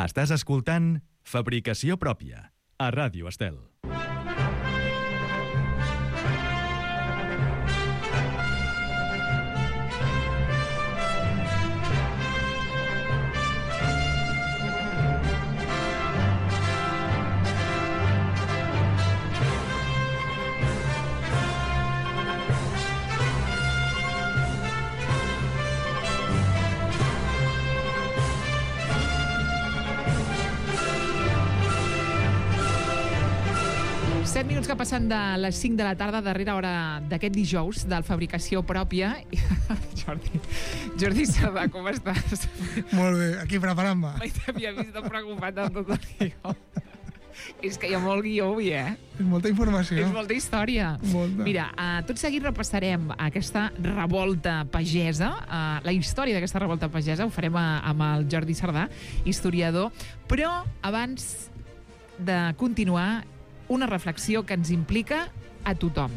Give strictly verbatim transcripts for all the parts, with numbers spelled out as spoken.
Estàs escoltant Fabricació Pròpia, a Ràdio Estel. set minuts que passen de les cinc de la tarda, darrera hora d'aquest dijous, del Fabricació Pròpia. Jordi, Jordi Sardà, com estàs? Molt bé, aquí preparant-me. Mai t'havia vist tan preocupat amb tot el guió. És que hi ha molt guió avui, eh? És molta informació. És molta història. Molta. Mira, uh, tot seguit repassarem aquesta revolta pagesa, uh, la història d'aquesta revolta pagesa, ho farem a, amb el Jordi Sardà, historiador, però abans de continuar, una reflexió que ens implica a tothom.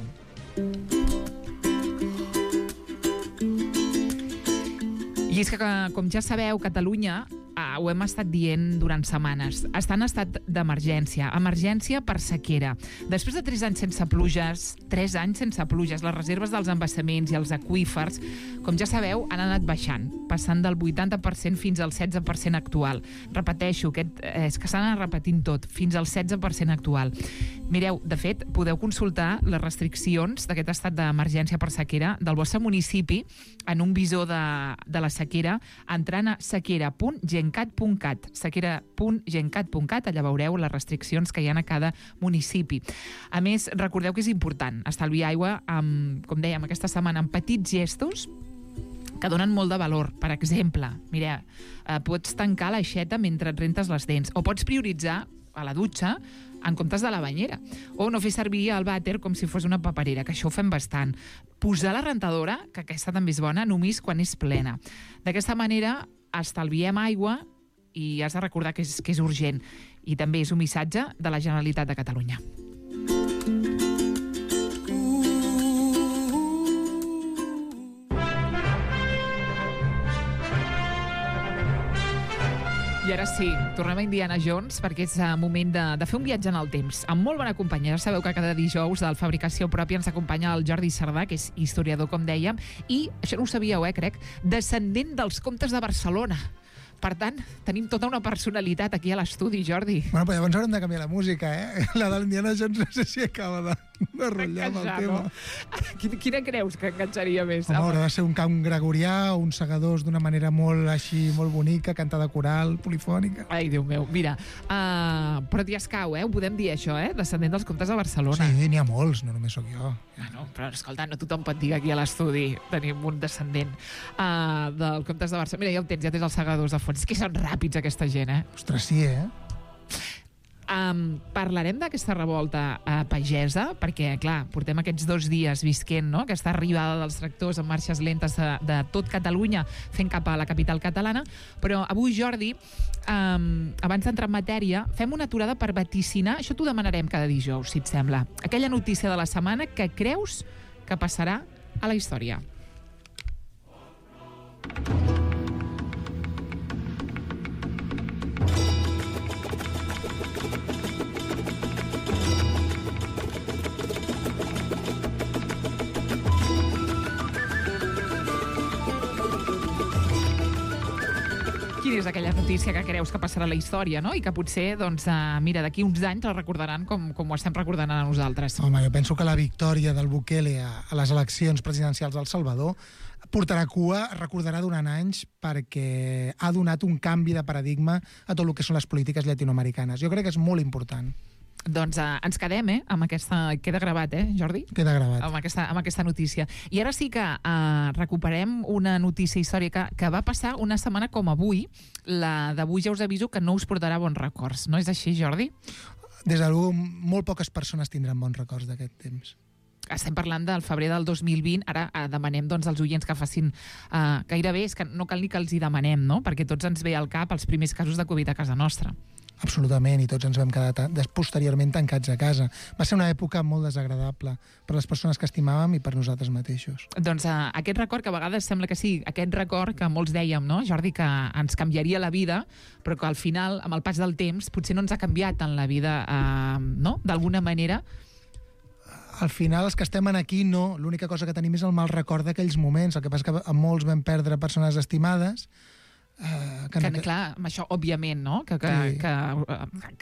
I és que, com ja sabeu, Catalunya, eh, ho hem estat dient durant setmanes, està en estat d'emergència, emergència per sequera. Després de tres anys sense pluges, tres anys sense pluges, les reserves dels embassaments i els aqüífers, com ja sabeu, han anat baixant, passant del vuitanta per cent fins al setze per cent actual. Repeteixo, aquest, és que s'ha anat repetint tot, fins al setze per cent actual. Mireu, de fet, podeu consultar les restriccions d'aquest estat d'emergència per sequera del vostre municipi en un visor de, de la sequera, entrant a sequera punt gencat punt cat, sequera punt gencat punt cat, allà veureu les restriccions que hi ha a cada municipi. A més, recordeu que és important estalviar aigua, amb, com dèiem aquesta setmana, amb petits gestos que donen molt de valor. Per exemple, mira, eh, pots tancar l'aixeta mentre et rentes les dents, o pots prioritzar a la dutxa en comptes de la banyera, o no fer servir el vàter com si fos una paperera, que això ho fem bastant. Posar la rentadora, que aquesta també és bona, només quan és plena. D'aquesta manera estalviem aigua i has de recordar que és, que és urgent. I també és un missatge de la Generalitat de Catalunya. I ara sí, tornem a Indiana Jones perquè és moment de, de fer un viatge en el temps amb molt bona companyia. Ja sabeu que cada dijous del Fabricació Pròpia ens acompanya el Jordi Sardà, que és historiador, com dèiem, i, això no ho sabíeu, eh, crec, descendent dels comtes de Barcelona. Per tant, tenim tota una personalitat aquí a l'estudi, Jordi. Bueno, però llavors haurem de canviar la música, eh? La de l'Indiana Jones no sé si acaba de, de rotllar amb el tema. Quina, quina creus que enganxaria més? Home, haurà de ser un cant gregorià, uns segadors d'una manera molt així, molt bonica, cantada coral, polifònica. Ai, Déu meu, mira, uh, però t'hi escau, eh? Ho podem dir, això, eh? Descendent dels comtes de Barcelona. Sí, n'hi ha molts, no només sóc jo. Bueno, però escolta, no tothom pot dir que aquí a l'estudi tenim un descendent uh, del comtes de Barcelona. Mira, ja ho tens, ja tens els segadors de fons. És que són ràpids, aquesta gent, eh? Ostres, sí, eh? Um, parlarem d'aquesta revolta uh, pagesa, perquè, clar, portem aquests dos dies visquent, no?, aquesta arribada dels tractors en marxes lentes de, de tot Catalunya fent cap a la capital catalana, però avui, Jordi, um, abans d'entrar en matèria, fem una aturada per vaticinar, això t'ho demanarem cada dijous, si et sembla, aquella notícia de la setmana que creus que passarà a la història. Quina és aquella notícia que creus que passarà a la història, no? I que potser, doncs, uh, mira, d'aquí uns anys la recordaran com, com ho estem recordant a nosaltres. Home, jo penso que la victòria del Bukele a, a les eleccions presidencials al Salvador portarà cua, recordarà durant anys, perquè ha donat un canvi de paradigma a tot el que són les polítiques llatinoamericanes. Jo crec que és molt important. Doncs uh, ens quedem, eh, amb aquesta... Queda gravat, eh, Jordi? Queda gravat. Amb aquesta, amb aquesta notícia. I ara sí que uh, recuperem una notícia històrica que va passar una setmana com avui. La d'avui ja us aviso que no us portarà bons records. No és així, Jordi? Des de l'u, molt poques persones tindran bons records d'aquest temps. estem parlant del febrer del dos mil vint, ara eh, demanem doncs, als oients que facin eh, gairebé, és que no cal ni que els hi demanem, no? Perquè tots ens ve al cap els primers casos de Covid a casa nostra. Absolutament, i tots ens vam quedar ta- des- posteriorment tancats a casa. Va ser una època molt desagradable per les persones que estimàvem i per nosaltres mateixos. Doncs eh, aquest record, que a vegades sembla que sí, aquest record que molts dèiem, no, Jordi, que ens canviaria la vida, però que al final, amb el pas del temps, potser no ens ha canviat en la vida, eh, no?, d'alguna manera. Al final, els que estem aquí, no. L'única cosa que tenim és el mal record d'aquells moments. El que passa que a molts vam perdre persones estimades. Uh, Que, que, clar, amb això, òbviament, no? Que, que, Sí. que,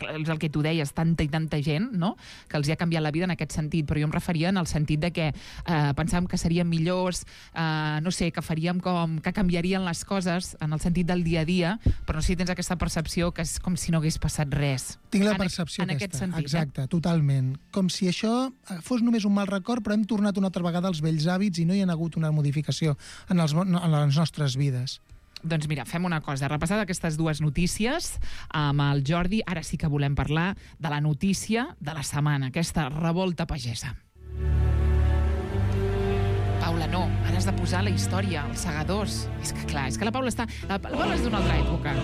que és el que tu deies, tanta i tanta gent, no?, que els hi ha canviat la vida en aquest sentit, però jo em referia en el sentit de que eh, pensàvem que serien millors, eh, no sé, que faríem com, que canviarien les coses en el sentit del dia a dia, però no sé si tens aquesta percepció que és com si no hagués passat res. Tinc la En- percepció en aquesta. aquest sentit, Exacte, totalment. Com si això fos només un mal record, però hem tornat una altra vegada als vells hàbits i no hi ha hagut una modificació en, els, en les nostres vides. Doncs mira, fem una cosa. Repassat aquestes dues notícies amb el Jordi, ara sí que volem parlar de la notícia de la setmana, aquesta revolta pagesa. Paula, no, ara has de posar la història, els segadors. És que clar, és que la Paula està... La, la Paula és d'una altra època.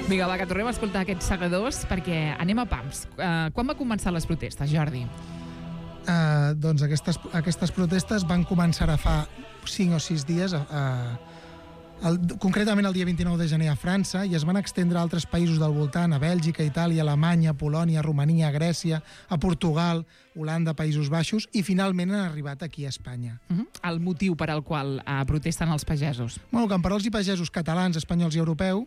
Vinga, va, que tornem a escoltar aquests segadors perquè anem a pams. Uh, quan va començar les protestes, Jordi? Uh, doncs aquestes, aquestes protestes van començar a fa cinc o sis dies, a, a, el, concretament el dia vint-i-nou de gener a França, i es van extendre a altres països del voltant, a Bèlgica, Itàlia, Alemanya, Polònia, Romania, Grècia, a Portugal, Holanda, Països Baixos, i finalment han arribat aquí a Espanya. Uh -huh. El motiu per al qual uh, protesten els pagesos. Bueno, camperols i pagesos catalans, espanyols i europeus,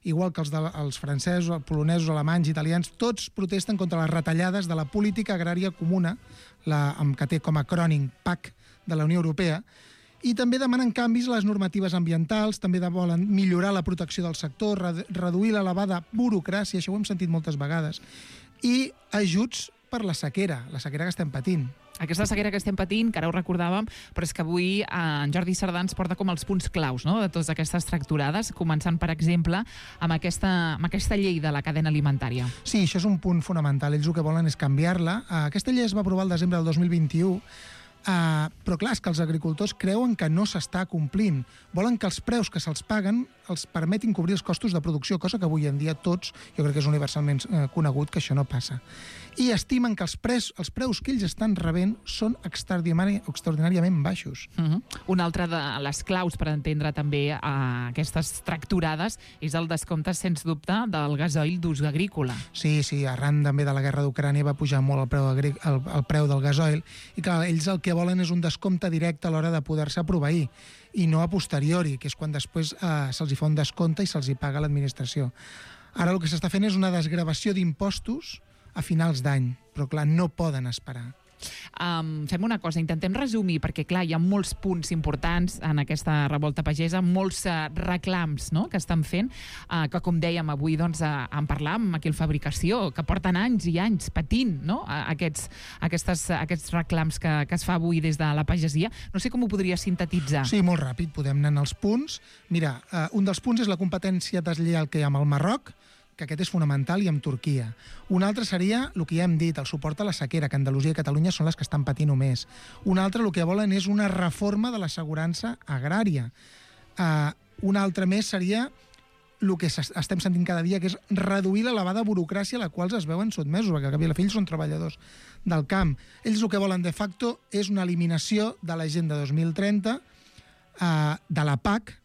igual que els, de, els francesos, els polonesos, alemanys, italians, tots protesten contra les retallades de la política agrària comuna, la, amb, que té com a acrònim P A C de la Unió Europea, i també demanen canvis a les normatives ambientals, també de volen millorar la protecció del sector, redu reduir l'elevada burocràcia, això ho hem sentit moltes vegades, i ajuts per la sequera, la sequera que estem patint. Aquesta sequera que estem patint, que ara ho recordàvem, però és que avui eh, en Jordi Cerdà ens porta com els punts claus, no?, de totes aquestes tracturades, començant, per exemple, amb aquesta, amb aquesta llei de la cadena alimentària. Sí, això és un punt fonamental. Ells el que volen és canviar-la. Aquesta llei es va aprovar el desembre del dos mil vint-i-u, Uh, però clar, és que els agricultors creuen que no s'està complint. Volen que els preus que se'ls paguen els permetin cobrir els costos de producció, cosa que avui en dia tots, jo crec que és universalment uh, conegut que això no passa. I estimen que els, pres, els preus que ells estan rebent són extraordinari, extraordinàriament baixos. Uh -huh. Una altra de les claus per entendre també uh, aquestes tracturades és el descompte, sens dubte, del gasoil d'ús agrícola. Sí, sí, arran també de la guerra d'Ucrània va pujar molt el preu, el, el preu del gasoil, i clar, ells el que volen és un descompte directe a l'hora de poder-se proveir, i no a posteriori, que és quan després eh, se'ls hi fa un descompte i se'ls hi paga l'administració. Ara el que s'està fent és una desgravació d'impostos a finals d'any, però clar, no poden esperar. Um, fem una cosa, intentem resumir, perquè clar, hi ha molts punts importants en aquesta revolta pagesa, molts uh, reclams, no?, que estan fent, uh, que com dèiem avui doncs, uh, en parlam aquí al Fabricació, que porten anys i anys patint, no?, uh, aquests, aquestes, uh, aquests reclams que, que es fa avui des de la pagesia. No sé com ho podria sintetitzar. Sí, molt ràpid, podem anar als punts. Mira, uh, un dels punts és la competència deslleial que hi ha amb el Marroc, que aquest és fonamental, i amb Turquia. Un altre seria el que ja hem dit, el suport a la sequera, que Andalusia i Catalunya són les que estan patint més. Un altre, el que volen és una reforma de l'assegurança agrària. Uh, un altre més seria el que estem sentint cada dia, que és reduir l'elevada burocràcia a la qual es veuen sotmesos, perquè al cap i a la fi ells són treballadors del camp. Ells el que volen de facto és una eliminació de l'Agenda dos mil trenta, uh, de la P A C,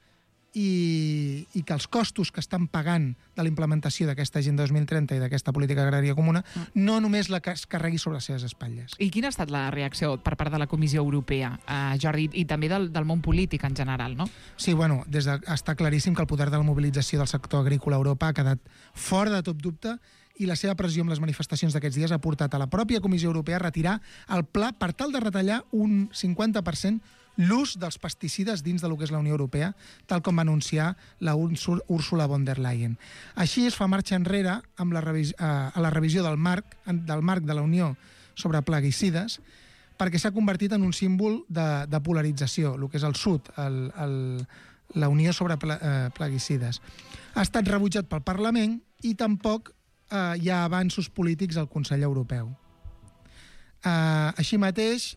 I, i que els costos que estan pagant de la implementació d'aquesta Agenda dos mil trenta i d'aquesta política agrària comuna no només la que es carregui sobre les seves espatlles. I quina ha estat la reacció per part de la Comissió Europea, eh, Jordi, i també del, del món polític en general, no? Sí, bueno, des de, està claríssim que el poder de la mobilització del sector agrícola a Europa ha quedat fora de tot dubte, i la seva pressió amb les manifestacions d'aquests dies ha portat a la pròpia Comissió Europea a retirar el pla per tal de retallar un cinquanta per cent l'ús dels pesticides dins de lo que és la Unió Europea, tal com va anunciar la Ursula von der Leyen. Així es fa marxa enrere amb la revisió, a la revisió del marc, del marc de la Unió sobre plaguicides, perquè s'ha convertit en un símbol de, de polarització, el que és el sud, el, el, la Unió sobre pla, eh, plaguicides. Ha estat rebutjat pel Parlament i tampoc eh, hi ha avanços polítics al Consell Europeu. Eh, així mateix,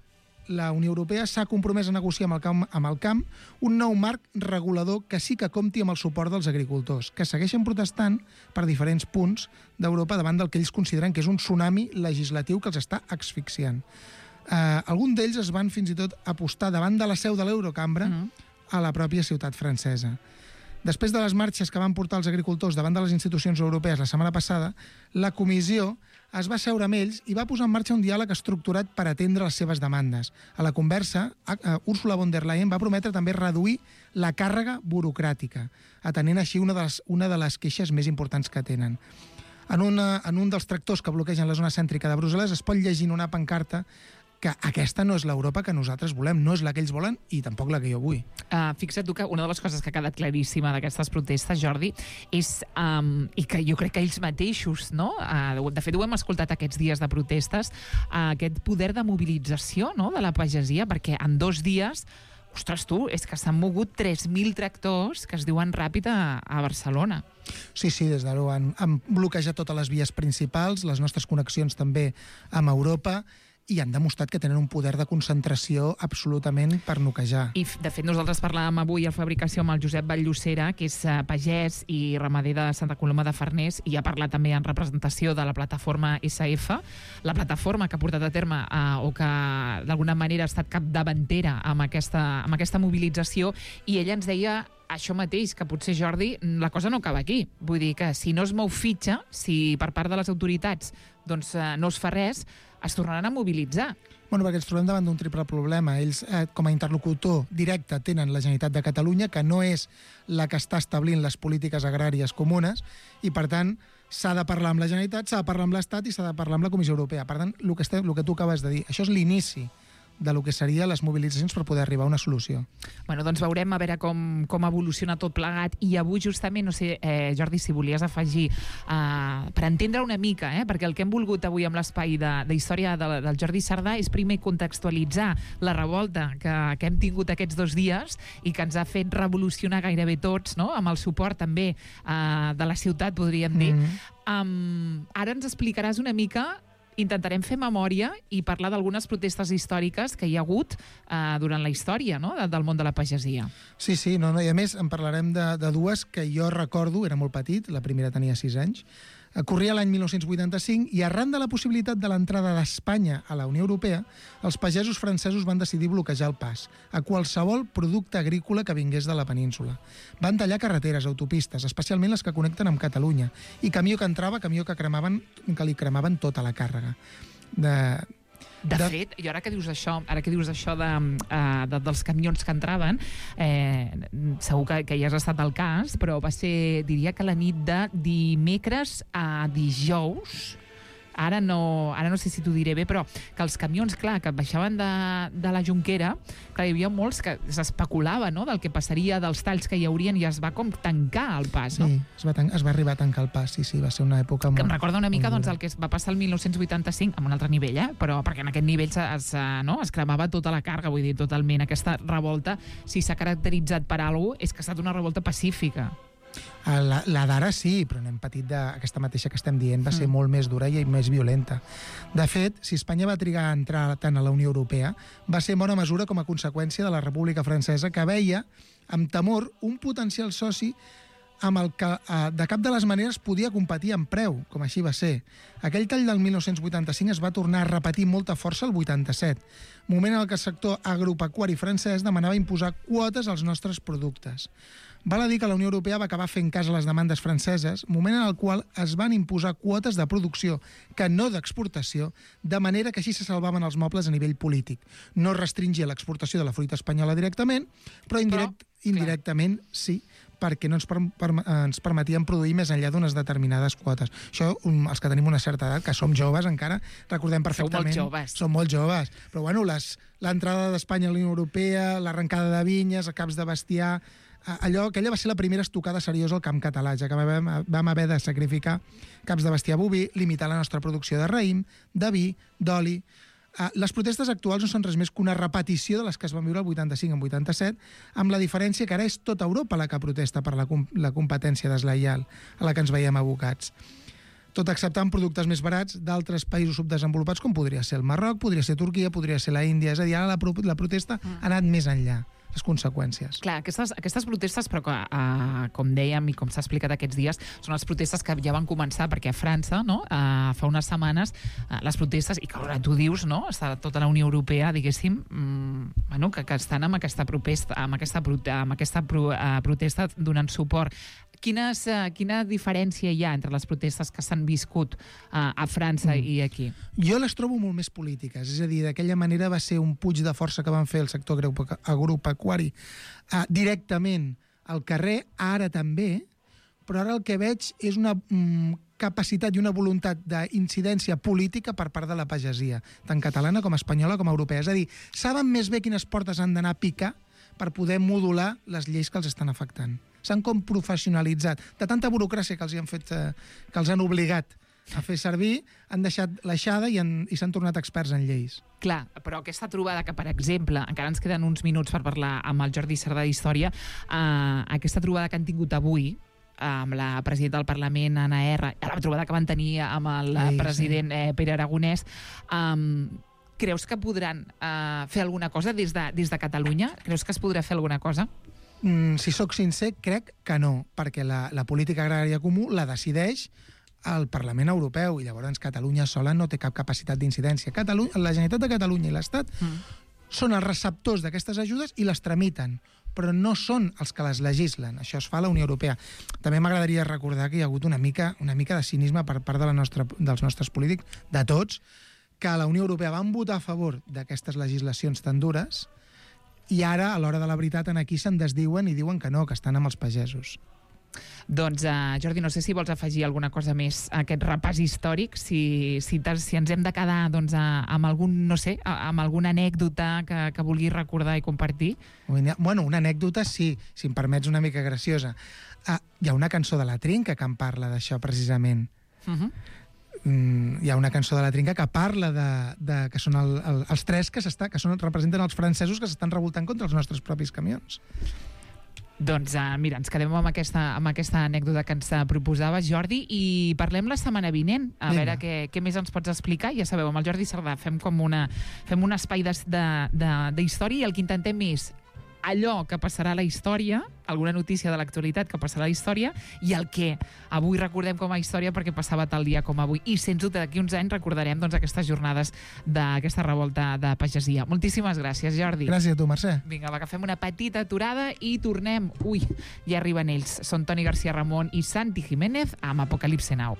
la Unió Europea s'ha compromès a negociar amb el, camp, amb el camp un nou marc regulador que sí que compti amb el suport dels agricultors, que segueixen protestant per diferents punts d'Europa davant del que ells consideren que és un tsunami legislatiu que els està asfixiant. Eh, alguns d'ells es van fins i tot apostar davant de la seu de l'Eurocambra mm. a la pròpia ciutat francesa. Després de les marxes que van portar els agricultors davant de les institucions europees la setmana passada, la comissió es va seure amb ells i va posar en marxa un diàleg estructurat per atendre les seves demandes. A la conversa, Ursula von der Leyen va prometre també reduir la càrrega burocràtica, atenent així una de les, una de les queixes més importants que tenen. En, una, en un dels tractors que bloquegen la zona cèntrica de Brussel·les es pot llegir en una pancarta que aquesta no és l'Europa que nosaltres volem, no és la que ells volen i tampoc la que jo vull. Uh, fixa't tu que una de les coses que ha quedat claríssima d'aquestes protestes, Jordi, és, um, i que jo crec que ells mateixos, no? Uh, de fet, ho hem escoltat aquests dies de protestes, uh, aquest poder de mobilització, no?, de la pagesia, perquè en dos dies, ostres tu, és que s'han mogut tres mil tractors que es diuen ràpid a, a Barcelona. Sí, sí, des de l'U han, han bloquejat totes les vies principals, les nostres connexions també amb Europa, i han demostrat que tenen un poder de concentració absolutament per noquejar. I, de fet, nosaltres parlàvem avui a Fabricació amb el Josep Vall-Llosera, que és uh, pagès i ramader de Santa Coloma de Farners, i ha parlat també en representació de la plataforma S F, la plataforma que ha portat a terme uh, o que d'alguna manera ha estat capdavantera amb aquesta, amb aquesta mobilització, i ella ens deia això mateix, que potser, Jordi, la cosa no acaba aquí. Vull dir que si no es mou fitxa, si per part de les autoritats doncs, uh, no es fa res, es tornaran a mobilitzar. Bueno, perquè ens trobem davant d'un triple problema. Ells, eh, com a interlocutor directe, tenen la Generalitat de Catalunya, que no és la que està establint les polítiques agràries comunes, i, per tant, s'ha de parlar amb la Generalitat, s'ha de parlar amb l'Estat i s'ha de parlar amb la Comissió Europea. Per tant, el que, estem, el que tu acabes de dir, això és l'inici de lo que serien les mobilitzacions per poder arribar a una solució. Bueno, doncs veurem a veure com, com evoluciona tot plegat, i avui justament, no sé, eh, Jordi, si volies afegir, eh, per entendre una mica, eh, perquè el que hem volgut avui amb l'espai de, de història de, del Jordi Sardà és primer contextualitzar la revolta que, que hem tingut aquests dos dies i que ens ha fet revolucionar gairebé tots, no?, amb el suport també eh, de la ciutat, podríem dir. Mm-hmm. Um, ara ens explicaràs una mica. Intentarem fer memòria i parlar d'algunes protestes històriques que hi ha hagut eh, durant la història, no?, de, del món de la pagesia. Sí, sí, no, no, i a més en parlarem de, de dues que jo recordo, era molt petit, la primera tenia sis anys, corria l'any mil nou-cents vuitanta-cinc i arran de la possibilitat de l'entrada d'Espanya a la Unió Europea, els pagesos francesos van decidir bloquejar el pas a qualsevol producte agrícola que vingués de la península. Van tallar carreteres, autopistes, especialment les que connecten amb Catalunya, i camió que entrava, camió que cremaven, que li cremaven tota la càrrega. De... De, de fet, i ara que dius això, ara que dius això de, uh, de, dels camions que entraven, eh, segur que, que ja has estat al cas, però va ser, diria que la nit de dimecres a dijous, ara no, ara no sé si t'ho diré bé, però que els camions, clar, que baixaven de, de la Jonquera, clar, hi havia molts que s'especulava, no?, del que passaria, dels talls que hi haurien, i es va com tancar el pas, no? Sí, es va, es va arribar a tancar el pas, sí, sí, va ser una època molt... Que em recorda una mica doncs, el que va passar el mil nou-cents vuitanta-cinc, amb un altre nivell, eh? Però perquè en aquest nivell es, no? es cremava tota la càrrega, vull dir, totalment. Aquesta revolta, si s'ha caracteritzat per alguna cosa, és que ha estat una revolta pacífica. La, la d'ara sí, però n'hem patit d'aquesta mateixa que estem dient, va ser mm. molt més dura i més violenta. De fet, si Espanya va trigar a entrar tant a la Unió Europea, va ser en bona mesura com a conseqüència de la República Francesa, que veia amb temor un potencial soci amb el que de cap de les maneres podia competir en preu, com així va ser. Aquell tall del mil nou-cents vuitanta-cinc es va tornar a repetir amb molta força el vuitanta-set, moment en el que el sector agropecuari francès demanava imposar quotes als nostres productes. Val a dir que la Unió Europea va acabar fent cas a les demandes franceses, moment en el qual es van imposar quotes de producció, que no d'exportació, de manera que així se salvaven els mobles a nivell polític. No restringia l'exportació de la fruita espanyola directament, però, indirect, però indirectament sí, perquè no ens, per, per, ens permetien produir més enllà d'unes determinades quotes. Això, um, els que tenim una certa edat, que som joves encara, recordem perfectament... Som molt joves. Som molt joves. Però, bueno, l'entrada d'Espanya a la Unió Europea, l'arrencada de vinyes, a caps de bestiar... Allò, aquella va ser la primera estocada seriosa al camp català, ja que vam, vam haver de sacrificar caps de bestiar boví, limitar la nostra producció de raïm, de vi, d'oli... Uh, les protestes actuals no són res més que una repetició de les que es van viure el vuitanta-cinc en vuitanta-set, amb la diferència que ara és tota Europa la que protesta per la, com la competència deslleial a la que ens veiem abocats. tot acceptant productes més barats d'altres països subdesenvolupats, com podria ser el Marroc, podria ser Turquia, podria ser la Índia. És a dir, ara la, pro la protesta mm. ha anat més enllà, les conseqüències. Clar, aquestes, aquestes protestes, però que, uh, com dèiem i com s'ha explicat aquests dies, són les protestes que ja van començar, perquè a França, no, uh, fa unes setmanes, uh, les protestes, i que ara tu dius, no, està tota la Unió Europea, diguéssim, mm, bueno, que, que estan amb aquesta, protesta, amb aquesta, amb aquesta pro, uh, protesta donant suport. Quines, uh, quina diferència hi ha entre les protestes que s'han viscut uh, a França mm. i aquí? Jo les trobo molt més polítiques. És a dir, d'aquella manera va ser un puig de força que van fer el sector agropecuari uh, directament al carrer, ara també, però ara el que veig és una mm, capacitat i una voluntat d'incidència política per part de la pagesia, tant catalana com espanyola com europea. És a dir, saben més bé quines portes han d'anar a picar per poder modular les lleis que els estan afectant. S'han com professionalitzat. De tanta burocràcia que els han fet, eh, que els han obligat a fer servir, han deixat l'aixada i, han, i s'han tornat experts en lleis. Clar, però aquesta trobada que, per exemple, encara ens queden uns minuts per parlar amb el Jordi Cerdà d'Història, eh, aquesta trobada que han tingut avui, amb la presidenta del Parlament, Anna R, la trobada que van tenir amb el Ai, president sí. eh, Pere Aragonès, eh, creus que podran eh, fer alguna cosa des de, des de Catalunya? Creus que es podrà fer alguna cosa? Mm, si sóc sincer, crec que no, perquè la, la política agrària comú la decideix el Parlament Europeu i llavors Catalunya sola no té cap capacitat d'incidència. Catalunya, la Generalitat de Catalunya i l'Estat mm. són els receptors d'aquestes ajudes i les tramiten, però no són els que les legislen. Això es fa a la Unió Europea. També m'agradaria recordar que hi ha hagut una mica, una mica de cinisme per part de la nostra, dels nostres polítics, de tots, que a la Unió Europea van votar a favor d'aquestes legislacions tan dures i ara, a l'hora de la veritat, en aquí se'n desdiuen i diuen que no, que estan amb els pagesos. Doncs, uh, Jordi, no sé si vols afegir alguna cosa més a aquest repàs històric, si, si, si ens hem de quedar doncs, a, amb algun, no sé, a, amb alguna anècdota que, que vulguis recordar i compartir. Bueno, una anècdota, sí, si em permets una mica graciosa. Uh, hi ha una cançó de la Trinca que em parla d'això, precisament. Uh-huh. Mm, hi ha una cançó de la Trinca que parla de, de que són el, el, els tres que, que són, representen els francesos que s'estan revoltant contra els nostres propis camions. Doncs uh, mira, ens quedem amb aquesta, amb aquesta anècdota que ens proposava Jordi i parlem la setmana vinent, a Vinga. veure què, què més ens pots explicar. Ja sabeu, amb el Jordi Cerdà fem com una, fem un espai d'història i el que intentem és allò que passarà a la història, alguna notícia de l'actualitat que passarà a la història, i el que avui recordem com a història perquè passava tal dia com avui. I, sens dubte, d'aquí uns anys recordarem doncs, aquestes jornades d'aquesta revolta de pagesia. Moltíssimes gràcies, Jordi. Gràcies a tu, Mercè. Vinga, va, que fem una petita aturada i tornem. Ui, ja arriben ells. Són Toni García Ramon i Santi Jiménez amb Apocalipse Now.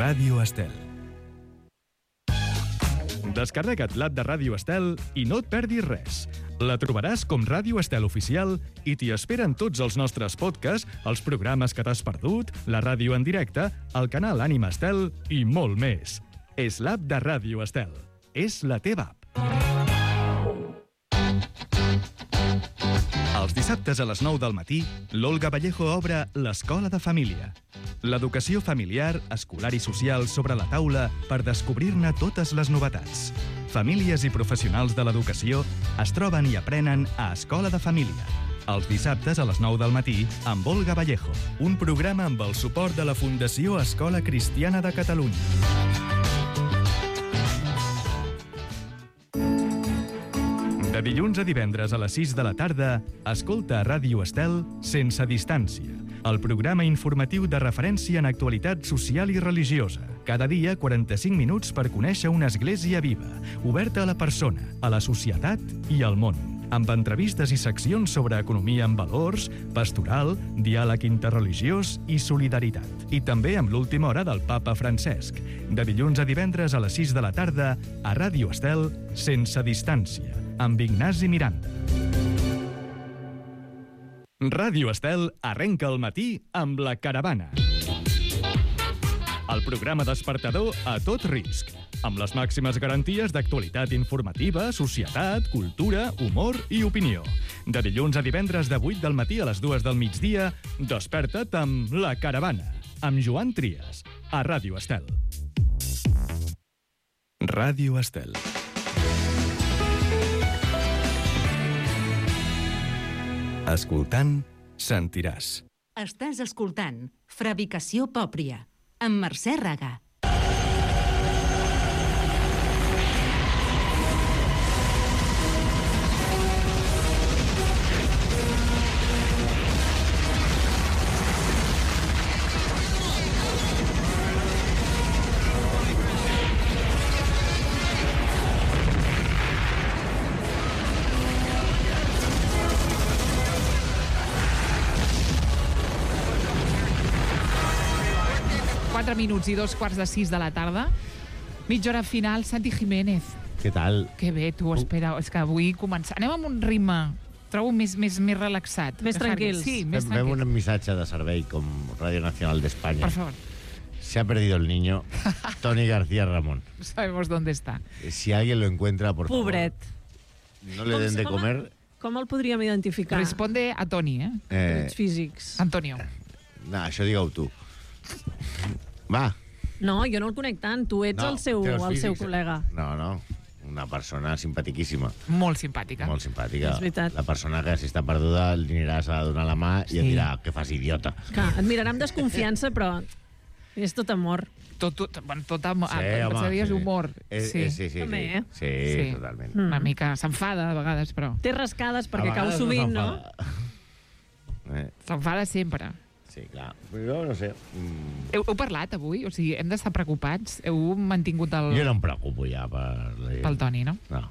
Ràdio Estel. Descarrega't l'app de Ràdio Estel i no et perdis res. La trobaràs com Ràdio Estel Oficial i t'hi esperen tots els nostres podcasts, els programes que t'has perdut, la ràdio en directe, el canal Ànima Estel i molt més. És l'app de Ràdio Estel. És la teva app. Els dissabtes a les nou del matí, l'Olga Vallejo obre l'Escola de Família. L'educació familiar, escolar i social sobre la taula per descobrir-ne totes les novetats. Famílies i professionals de l'educació es troben i aprenen a Escola de Família. Els dissabtes a les nou del matí amb Olga Vallejo, un programa amb el suport de la Fundació Escola Cristiana de Catalunya. De dilluns a divendres a les sis de la tarda, escolta a Ràdio Estel Sense Distància, el programa informatiu de referència en actualitat social i religiosa. Cada dia, quaranta-cinc minuts per conèixer una església viva, oberta a la persona, a la societat i al món. Amb entrevistes i seccions sobre economia amb valors, pastoral, diàleg interreligiós i solidaritat. I també amb l'última hora del papa Francesc. De dilluns a divendres a les sis de la tarda, a Ràdio Estel Sense Distància, amb Ignasi Miranda. Ràdio Estel arrenca el matí amb La Caravana. El programa despertador a tot risc, amb les màximes garanties d'actualitat informativa, societat, cultura, humor i opinió. De dilluns a divendres de vuit del matí a les dues del migdia, desperta't amb La Caravana, amb Joan Trias, a Ràdio Estel. Ràdio Estel. Escoltant, sentiràs. Estàs escoltant Fabricació Pòpria, amb Mercè Raga. quatre minuts i dos quarts de sis de la tarda. Mitja hora final, Santi Jiménez. Què tal? Que bé, tu, espera, és que avui començar... Anem amb un ritme, trobo més, més, més relaxat. Més tranquils. Sí, més Fem tranquils. un missatge de servei com Radio Nacional de España. Por favor. Se ha perdido el niño Toni García Ramón. Sabemos dónde está. Si alguien lo encuentra, por favor. Pobret. No le den de Com- comer. Com el podríem identificar? Responde a Toni, eh? Eh, Trets físics. Antonio. no, això digue-ho tu. Va. No, jo no el conec tant. Tu ets No, el seu, té els el seu físics. col·lega. No, no. Una persona simpatiquíssima. Molt simpàtica. Molt simpàtica. És veritat. La persona que, si està perduda, li aniràs a donar la mà i Sí. et dirà que fas idiota. Clar, et mirarà amb desconfiança, però és tot amor. Tot, tot, bueno, tot amb, Sí, amb, home, amb sí. humor. Eh, sí. eh, sí, sí, També, sí. eh? Sí, Sí. totalment. Mm. Una mica s'enfada a vegades, però Té rascades perquè A cau vegades sovint, no? s'enfada. Eh, s'enfada sempre. sí, clar. Però no sé. Mm, Heu, heu parlat avui? O sigui, hem d'estar preocupats? Heu mantingut el, jo no em preocupo ja per la gent. pel Toni, no? No.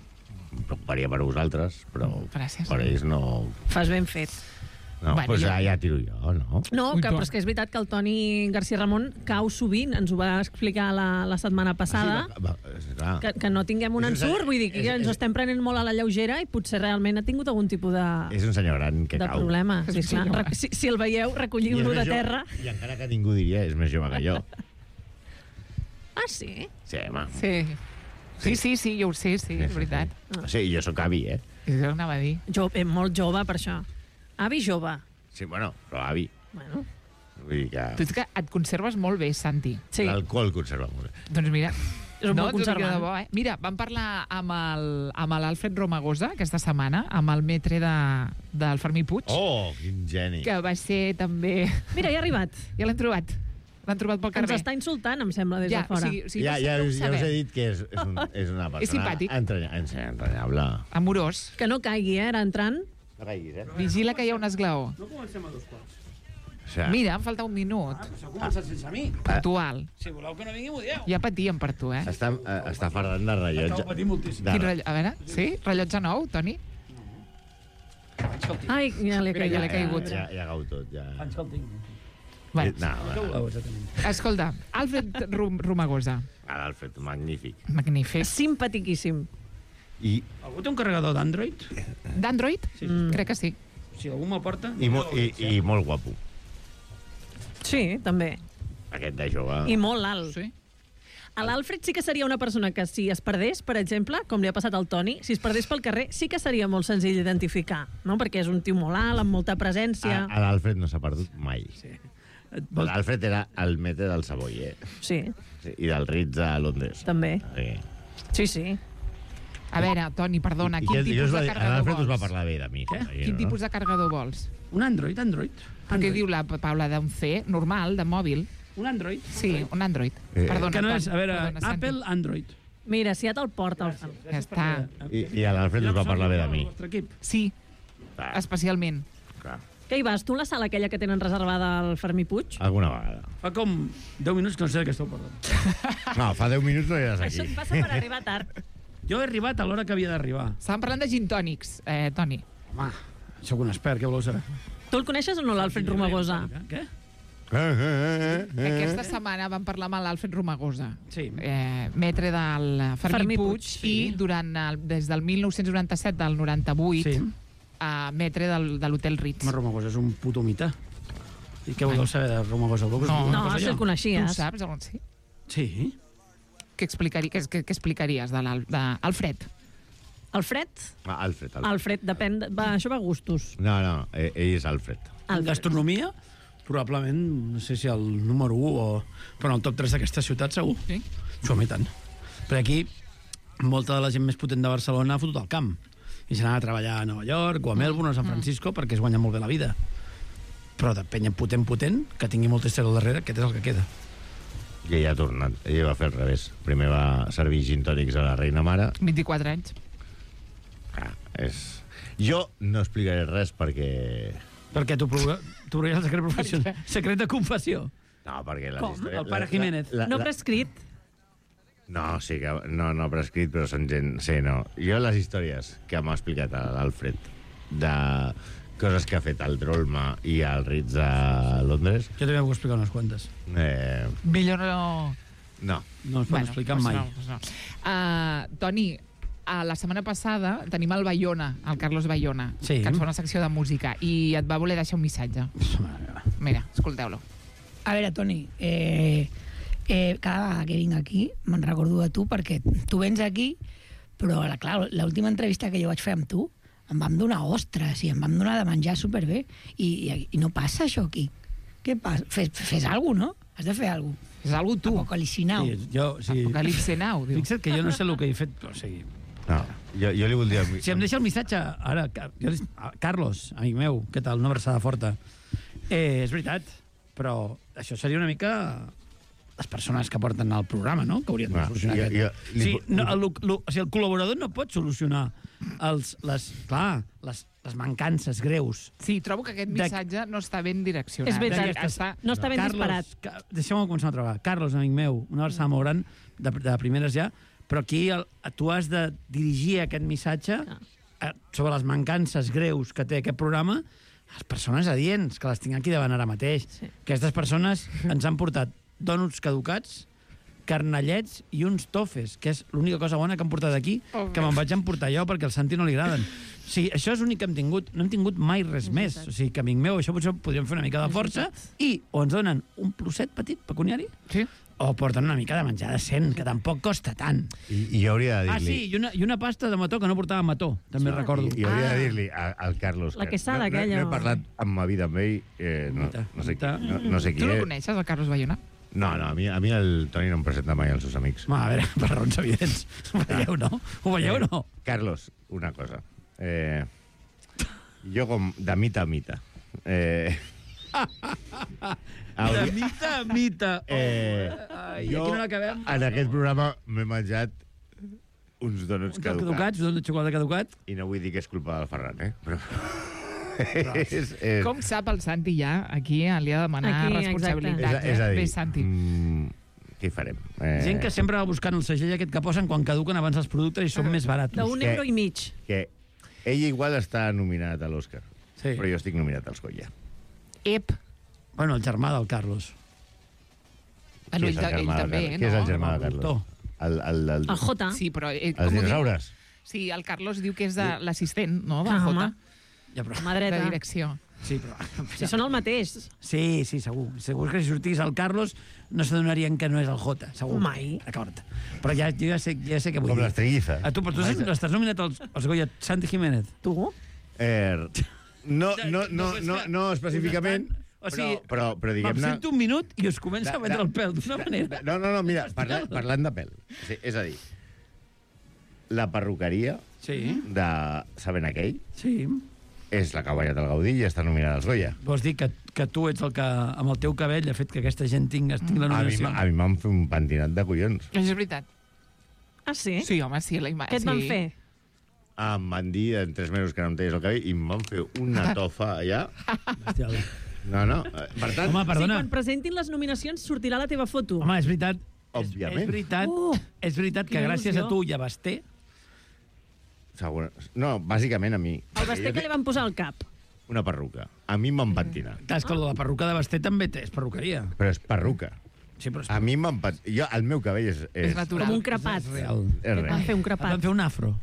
Em preocuparia per vosaltres, però Gràcies. per ells no... Fas ben fet. No, Bueno, pues jo- ja, ja tiro jo, no? No, Ui, que, Toni. però és que és veritat que el Toni García Ramon cau sovint, ens ho va explicar la, la setmana passada, Ah, sí, va, va, és clar. que, que no tinguem un És un ensurt, senyor- vull dir que és- ens és- ho estem prenent molt a la lleugera i potser realment ha tingut algun tipus de, És un senyor gran que de cau. problema. És Sí, un clar. senyor. Re- Si, si el veieu, I és recolliu-lo més de jove- terra. I encara que ningú diria, és més jove que jo. Ah, sí? Sí, home. Sí. Sí, sí, sí, jo ho sé, sí, és veritat. Sí, jo sóc avi, eh? Jo anava a dir. Jo, eh, molt jove, per això. Avi jove. Sí, bueno, però avi. Bueno, Vull dir que... Tu ets que et conserves molt bé, Santi. sí, L'alcohol conserva molt bé. Doncs mira... És un no, bon t'ho dic conservant. de bo, eh? Mira, vam parlar amb el- amb l'Alfred Romagosa aquesta setmana, amb el metre de, del Fermí Puig, Oh, quin geni. que va ser també... mira, ja ha arribat. Ja l'hem trobat. L'han trobat pel Ens carrer. està insultant, em sembla, des ja, de fora. O sigui, o sigui, ja, no, ja, no ho us, ja us sabem. he dit que és, és, un, és una persona... simpàtic. Entranya, entranyable. Amorós. Que no caigui, eh, ara entrant. No caiguis, eh? Vigila que hi ha un esglaó. No comencem a dos quarts. O sea, Mira, em falta un minut. Ah, però s'ha començat sense mi. Puntual. Si voleu que no vingui, m'ho dieu. Ja patíem per tu, eh? està, eh, està fardant de rellotge. Acabo patint moltíssim. De, Quin rellotge? A veure, sí? Rellotge nou, Toni? Escolti, Ai, ja l'he Mira, ja l'he caigut. caigut. Ja, ja cau tot, ja. anys que el tinc. Bueno, Eh, No, Què no, voleu, exactament? escolta, Alfred Rum Romagosa. ara l'ha fet magnífic. Magnífic. Simpatiquíssim. I, Algú té un carregador d'Android? D'Android? Sí. Mm. Crec que sí. Si algú m'aporta... i, mo, i, i molt guapo. Sí, també. Aquest de jove. I molt alt. Sí. A l'Alfred sí que seria una persona que si es perdés, per exemple, com li ha passat al Toni, si es perdés pel carrer, sí que seria molt senzill d'identificar, no? Perquè és un tio molt alt, amb molta presència. A, a l'Alfred no s'ha perdut mai. Sí. Et vols... L'Alfred era el metre del Savoy, eh? Sí, Sí, i del Ritz a Londres. també. Sí. Sí, sí. A veure, Toni, perdona, I quin que- i tipus us va de dir- carregador L'Alfred us va vols? parlar bé de mi. Què? imagino, Quin no? tipus de carregador vols? Un Android, Android. Perquè Android. diu la Paula d'un C, normal, de mòbil. Un Android. Sí, un Android. Eh, Perdona, Que no és, a Toni, veure, perdona, Santi. Apple, Android. Mira, si ja te'l porta el fan. Ja està. I, i a l'Alfred us va parlar bé de mi. El vostre equip. Sí, Clar, especialment. clar. Què hi vas? Tu a la sala aquella que tenen reservada al Fermí Puig? Alguna vegada. Fa com deu minuts que no sé de què esteu parlant. No, fa deu minuts no eres Això aquí. et passa per arribar tard. Jo he arribat a l'hora que havia d'arribar. Estàvem parlant de gin tònics, eh, Toni. Home, sóc un expert, què voleu saber? Tu el coneixes o no, l'Alfred Romagosa? Què? Eh, eh, eh, eh. Aquesta setmana vam parlar amb l'Alfred Romagosa, Sí. eh, metre del Fermí, Fermí Puig, Puig, i sí. durant el, des del mil nou-cents noranta-set del noranta-vuit Sí. a metre del, de l'Hotel Ritz. Home, Romagosa és un puto mite. I què voleu saber de Romagosa? Voleu que us No, digui una No, cosa si jo? el Tu ho coneixies. saps? o no? Sí? Sí. Què, explicari, què, què, què explicaries de l'Al- de Alfred? Alfred? Ah, Alfred, Alfred. Alfred, depèn... De... Va, això va a gustos. No, no, ell és Alfred. En gastronomia, probablement, no sé si el número u o... Però en el top tres d'aquesta ciutat, segur. Sí? Som i tant. Perquè aquí, molta de la gent més potent de Barcelona ha fotut al camp. I se n'ha a treballar a Nova York o a Melbourne o a San Francisco mm. perquè es guanya molt bé la vida. Però de penya potent, potent, que tingui molt estrella al darrere, aquest és el que queda. I ella ha tornat. Ella va fer al revés. Primer va servir gin tònics a la reina mare. vint-i-quatre anys. Ah, és... Jo no explicaré res perquè... Perquè tu provaràs el secret professional. Secret de confessió. No, perquè... Les Com? històries... El pare Jiménez. La, la, No la, prescrit? No, sí que... No, no prescrit, però són gent... Sí, no. Jo les històries que m'ha explicat l'Alfred de coses que ha fet al Drolma i al Ritz de Londres... Jo també puc explicar unes quantes. Eh, Millor no... no. No es pot bueno, explicar doncs mai. No, doncs no. Uh, Toni, a la setmana passada tenim el Bayona, el Carlos Bayona, Sí. que ens fa una secció de música, i et va voler deixar un missatge. Mira, escolteu-lo. A veure, Toni, eh, eh, cada vegada que vinc aquí me'n recordo de tu, perquè tu vens aquí, però, clar, l'última entrevista que jo vaig fer amb tu em vam donar ostres i em vam donar de menjar superbé, i, i, i no passa això aquí. Què passa? Fes, fes alguna cosa, no? Has de fer alguna cosa. És algú tu. Apocalipsi Now. Sí, jo, sí. Apocalipse Now, diu. Fixa't que jo no sé el que he fet, o sigui... No, jo, jo li voldria... Si em deixa el missatge, ara, jo, Carlos, amic meu, què tal? Una abraçada forta. Eh, és veritat, però això seria una mica les persones que porten el programa, no?, que haurien de Ah, solucionar jo- aquest. jo li Sí, pu- no, el, el, o sigui, el col·laborador no pot solucionar els, les, clar, les, les mancances greus. Sí, trobo que aquest De- missatge no està ben direccionat. És veritat. Està... No està ben Carlos, disparat. Ca- Deixeu-me començar una altra vegada. Carlos, amic meu, una abraçada molt gran, de, de primeres ja, però aquí el, tu has de dirigir aquest missatge eh, sobre les mancances greus que té aquest programa a les persones adients, que les tinc aquí davant ara mateix. Sí. Aquestes persones ens han portat dònuts caducats, carnellets i uns tofes, que és l'única cosa bona que han portat aquí, Oh, que me'n vaig emportar jo perquè al Santi no li agraden. Sí, això és l'únic que hem tingut. No hem tingut mai res més. O sigui, que, amic meu, això potser podríem fer una mica de força i o ens donen un plusset petit pecuniari Sí? o porten una mica de menjar decent, que tampoc costa tant. I, i jo hauria de Ah, dir-li... sí, i una, i una pasta de mató que no portava mató, també recordo. I, i hauria Ah. de dir-li a- al Carlos... La que quesada no, no, aquella, no he o- parlat en ma vida amb ell, eh, no, Mita, no, sé qui, mita. no, no sé qui Tu no és. coneixes, el Carlos Bayona? No, no, a mi, a mi el Toni no em presenta mai als seus amics. Home, a veure, per raons evidents. Ho veieu, no? Ho veieu, no? Eh, Carlos, una cosa. Eh, jo com de mita a mita. Eh, De mita a mita. Eh, Ai, jo, aquí no l'acabem. en aquest programa m'he menjat uns donuts Uns caducats. caducats, un de xocolata caducat. I no vull dir que és culpa del Ferran, eh? Però... és, és, Com sap el Santi ja, aquí li ha de demanar Aquí, responsabilitat. és, és a dir, Bé, Santi. mm, què hi farem? Eh, Gent que sempre va buscant el segell aquest que posen quan caduquen abans els productes i són més barats. D'un que- euro i mig. Que ell igual està nominat a l'Oscar, Sí. però jo estic nominat als Goya. Ep. Bueno, el germà del Carlos. Bueno, Qui ell, és el ell germà de també, Carlos? no? Qui és el germà de El Carlos? doctor. El, el, el, El Jota. Sí, però... Ell, els com ho diu? dinosaures? Sí, el Carlos diu que és de l'assistent, no? De Ah, Jota, home. Ja, però... Mà de dreta. direcció. Sí, però... Si són el mateix. Sí, sí, segur. Segur que si sortís el Carlos no s'adonarien que no és el Jota, segur. Mai. D'acord. Però ja, jo ja sé, ja sé què vull Com dir. les triguizes. A tu, però tu estàs, estàs nominat als, als Goya Santi Jiménez. Tu? Eh, no, no, no, és no, que no específicament, O sigui, però, però, però Me'n diguem-ne... sento un minut i us comença De- a vendre de- el pèl d'una manera. No, no, no, mira, parla, parlant de pèl. Sí, és a dir, la perruqueria Sí, de Sabent aquell sí. és la que ha guanyat el Gaudí i està nominada als Goya. Vols dir que, que tu ets el que, amb el teu cabell, ha fet que aquesta gent tingui, tingui la A mi, nominació? a mi m'han fet un pentinat de collons. És veritat. Ah, sí? Sí, home, sí. La ima... Què et van sí. fer? Em van dir en tres mesos que no em teies el cabell i em van fer una tofa allà. Bestial. No, no, eh, per tant, Home, Sí, perdona. quan presentin les nominacions sortirà la teva foto. Home, és veritat. Òbviament. És, és veritat, Uh, és veritat que quina gràcies a il·lusió. tu i a Basté, segur, no, bàsicament a mi. el Basté que li van posar al cap. Una perruca. A mi m'han pentinat. clar, és que la perruca de Basté també té, és perruqueria. Però és perruca. Sí, però és, A mi m'han pentinat. Jo, el meu cabell és... És, És natural. Com un crepat. és real. és Et van res. fer un Et van crepat. fer un afro.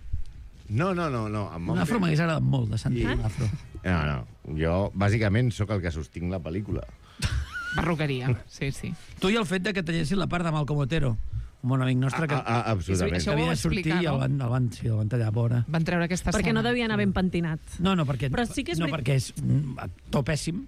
No, no, no. no em van Un afro fer- m'hagués agradat molt, de sentir I- un afro. No, no. Jo, bàsicament, sóc el que sostinc la pel·lícula. Perruqueria, sí, sí. Tu i el fet de que tallessin la part de Malcom Otero. un bon amic nostre que, A, a, absolutament. Això ho havia vau de sortir explicar, i el no? van, el van, sí, el van tallar a vora. Van treure aquesta escena. Perquè no devia anar ben pentinat. No, no, perquè, Però sí que és no, veri- perquè és un actor pèssim.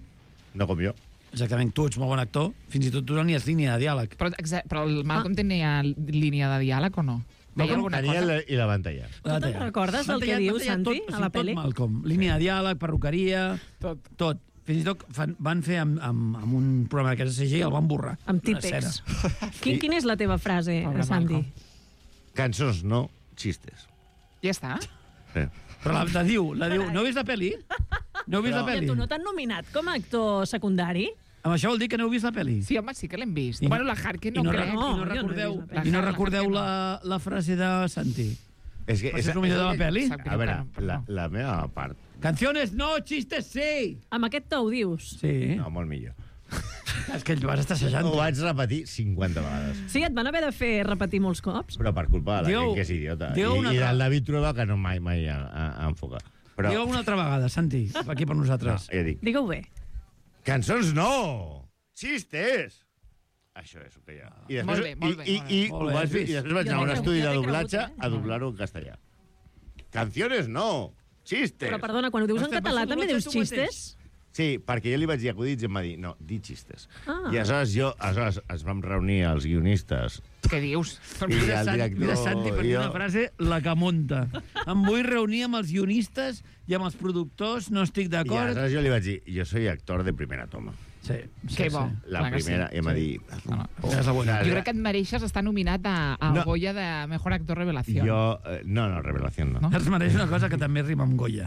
No com jo. Exactament, tu ets molt bon actor, fins i tot tu no tenies línia de diàleg. Però, exa- però el Malcolm ah. tenia línia de diàleg o no? Deia Malcolm alguna Tenia cosa? la, i la van tallar. Tu te'n recordes del que diu Santi a la pel·li? Tot, Malcolm. Línia de diàleg, perruqueria, Tot. tot. Fins i tot fan, van fer amb, amb, amb un programa de C G i el van borrar. Amb Una típex. escena. Quin, quina és la teva frase, Pobre Santi? Malcolm. Cançons no, xistes. Ja està? Sí. Però la, la diu, la diu, no heu vist la pel·li? No heu vist Però- la I a pel·li? tu no t'han nominat com a actor secundari? Amb això vol dir que no heu vist la pel·li? Sí, home, sí que l'hem vist. I- bueno, la Harkin I no, no, crec. I no No, jo no he recordeu, vist la pel·li. i no La recordeu Harkin no. la, la frase de Santi? És que... És el millor de la pel·li? Sap greu A veure, que no, però la, no. la meva part... Canciones no, chistes sí! Amb aquest to ho dius? Sí. No, molt millor. És que el vas estar assajant. Ho vaig repetir cinquanta vegades. Sí, et van haver de fer repetir molts cops? Però per culpa de la Diu- gent que és idiota. I, diu una i altra- del David Trueba, que no mai, mai a, a, a enfocar. Però, Digue una altra vegada, Santi, aquí per no, nosaltres. ja dic, Digue-ho bé. cançons no! Xistes! Això és el que hi ha. I després, Molt bé, molt bé, i, molt i, bé. i, Molt ho bé, vaig, has I vist? després vaig Jo anar a un t'he estudi cregut, de jo t'he doblatge cregut, eh? a doblar-ho en castellà. Canciones no! Xistes! Però perdona, quan ho dius en Hòstia, català però també tu dius tu mateix. xistes? Sí, perquè jo li vaig dir acudits i em va dir, no, di xistes. Ah. I aleshores jo, aleshores ens vam reunir els guionistes Què dius? i Mira, el Sant, director... mira Santi, per i dir jo- una frase, la que munta. Em vull reunir amb els guionistes i amb els productors, no estic I d'acord. aleshores jo li vaig dir, jo soy actor de primera toma. Sí, sí, Que bo. sí. La Clar que primera, sí. i em va dir... És la bona. Jo crec que et mereixes estar nominat a, a No. Goya de Mejor Actor Revelació. Jo... eh, No, no, revelació no. No? Es mereix una cosa que també rima amb Goya.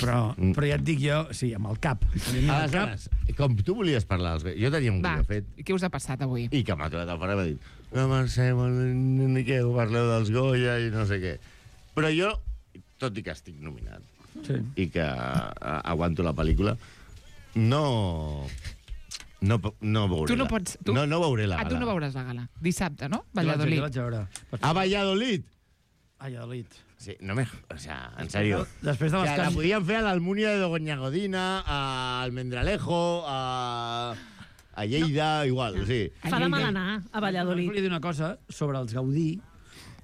Però, Mm. però ja et dic jo, sí, amb el cap. Amb el cap. Aleshores, com tu volies parlar, dels- jo tenia un Va, guió fet i què us ha passat avui? i que m'ha trobat al fora i m'ha dit no, Mercè, ni què, parleu dels Goya i no sé què. Però jo, tot i que estic nominat Sí. i que a, aguanto la pel·lícula, no... No, po- no veuré Tu no la- pots- tu- No, no veuré la Ah, tu gala. no veuràs la gala. Dissabte, no? Jo l'haig- Valladolid. jo l'haig de veure. A Valladolid! A Valladolid. Sí, no me... O sea, en serio. Després de O les sea, la can... podien fer a l'Almúnia de Doña Godina, a Almendralejo, a, a Lleida, igual, sí. Fa de mal anar a Valladolid. Volia dir una cosa sobre els Gaudí,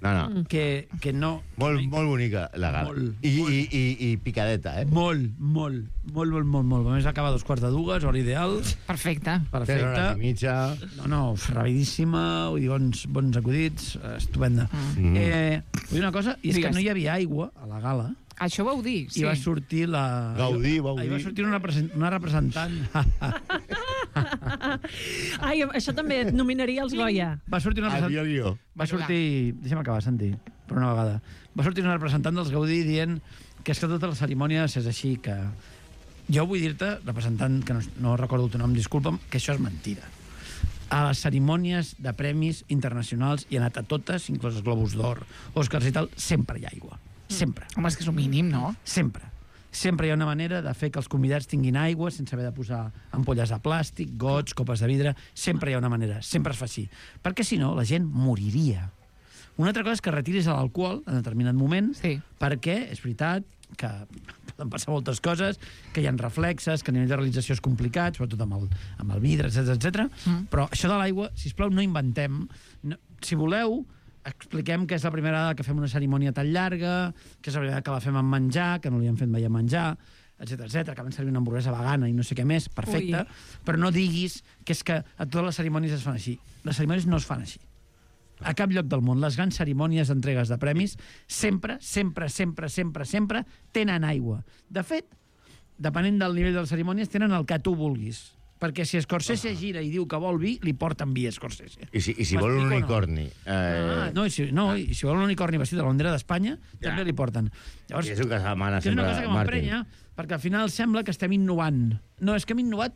No, no. que, que no... Molt, molt bonica, la gala. Molt, I, molt. i, i, i picadeta, eh? Molt, molt, molt, molt, molt, molt. A més, acaba a dos quarts de dues, hora ideal, Perfecte. Tres hores i perfecte. mitja. No, no, rapidíssima, vull dir, bons, bons acudits, eh, estupenda. Mm. Eh, vull dir una cosa, i és Digues. que no hi havia aigua a la gala, Això vau dir, sí. i va sortir la... Gaudí, va Ahir va dir. sortir una, represent... una representant. Ai, això també et nominaria els Goya. va sortir una Al representant... guió. Va sortir... Deixa'm acabar, Santi, per una vegada. Va sortir una representant dels Gaudí dient que és que tota la cerimònia és així, que... Jo vull dir-te, representant, que no, no recordo el teu nom, disculpa'm, que això és mentida. A les cerimònies de premis internacionals hi ha anat a totes, inclòs els Globus d'Or, Oscars i tal, sempre hi ha aigua. Sempre. Home, és que és un mínim, no? Sempre. Sempre hi ha una manera de fer que els convidats tinguin aigua sense haver de posar ampolles de plàstic, gots, copes de vidre. Sempre hi ha una manera. Sempre es fa així. Perquè, si no, la gent moriria. Una altra cosa és que retiris l'alcohol en determinat moment, Sí. perquè és veritat que poden passar moltes coses, que hi ha reflexes, que a nivell de realització és complicat, sobretot amb el, amb el vidre, etcètera, etcètera. Mm. Però això de l'aigua, sisplau, no inventem. No, si voleu, expliquem que és la primera vegada que fem una cerimònia tan llarga, que és la primera vegada que la fem amb menjar, que no li hem fet mai a menjar, etcètera, etcètera, que van servir una hamburguesa vegana i no sé què més, perfecte, Ui. però no diguis que és que a totes les cerimònies es fan així. Les cerimònies no es fan així. A cap lloc del món. Les grans cerimònies d'entregues de premis sempre, sempre, sempre, sempre, sempre tenen aigua. De fet, depenent del nivell de les cerimònies, tenen el que tu vulguis. Perquè si Scorsese gira i diu que vol vi, li porten vi a Scorsese. I si, i si vol un M'explico o no? unicorni? Ah, Eh, no, i si, no, i si vol un unicorni vestit de la bandera d'Espanya, Ja. també li porten. Llavors, I és el que demana que és una sempre cosa que Martin. m'emprenya, perquè al final sembla que estem innovant. No, és que hem innovat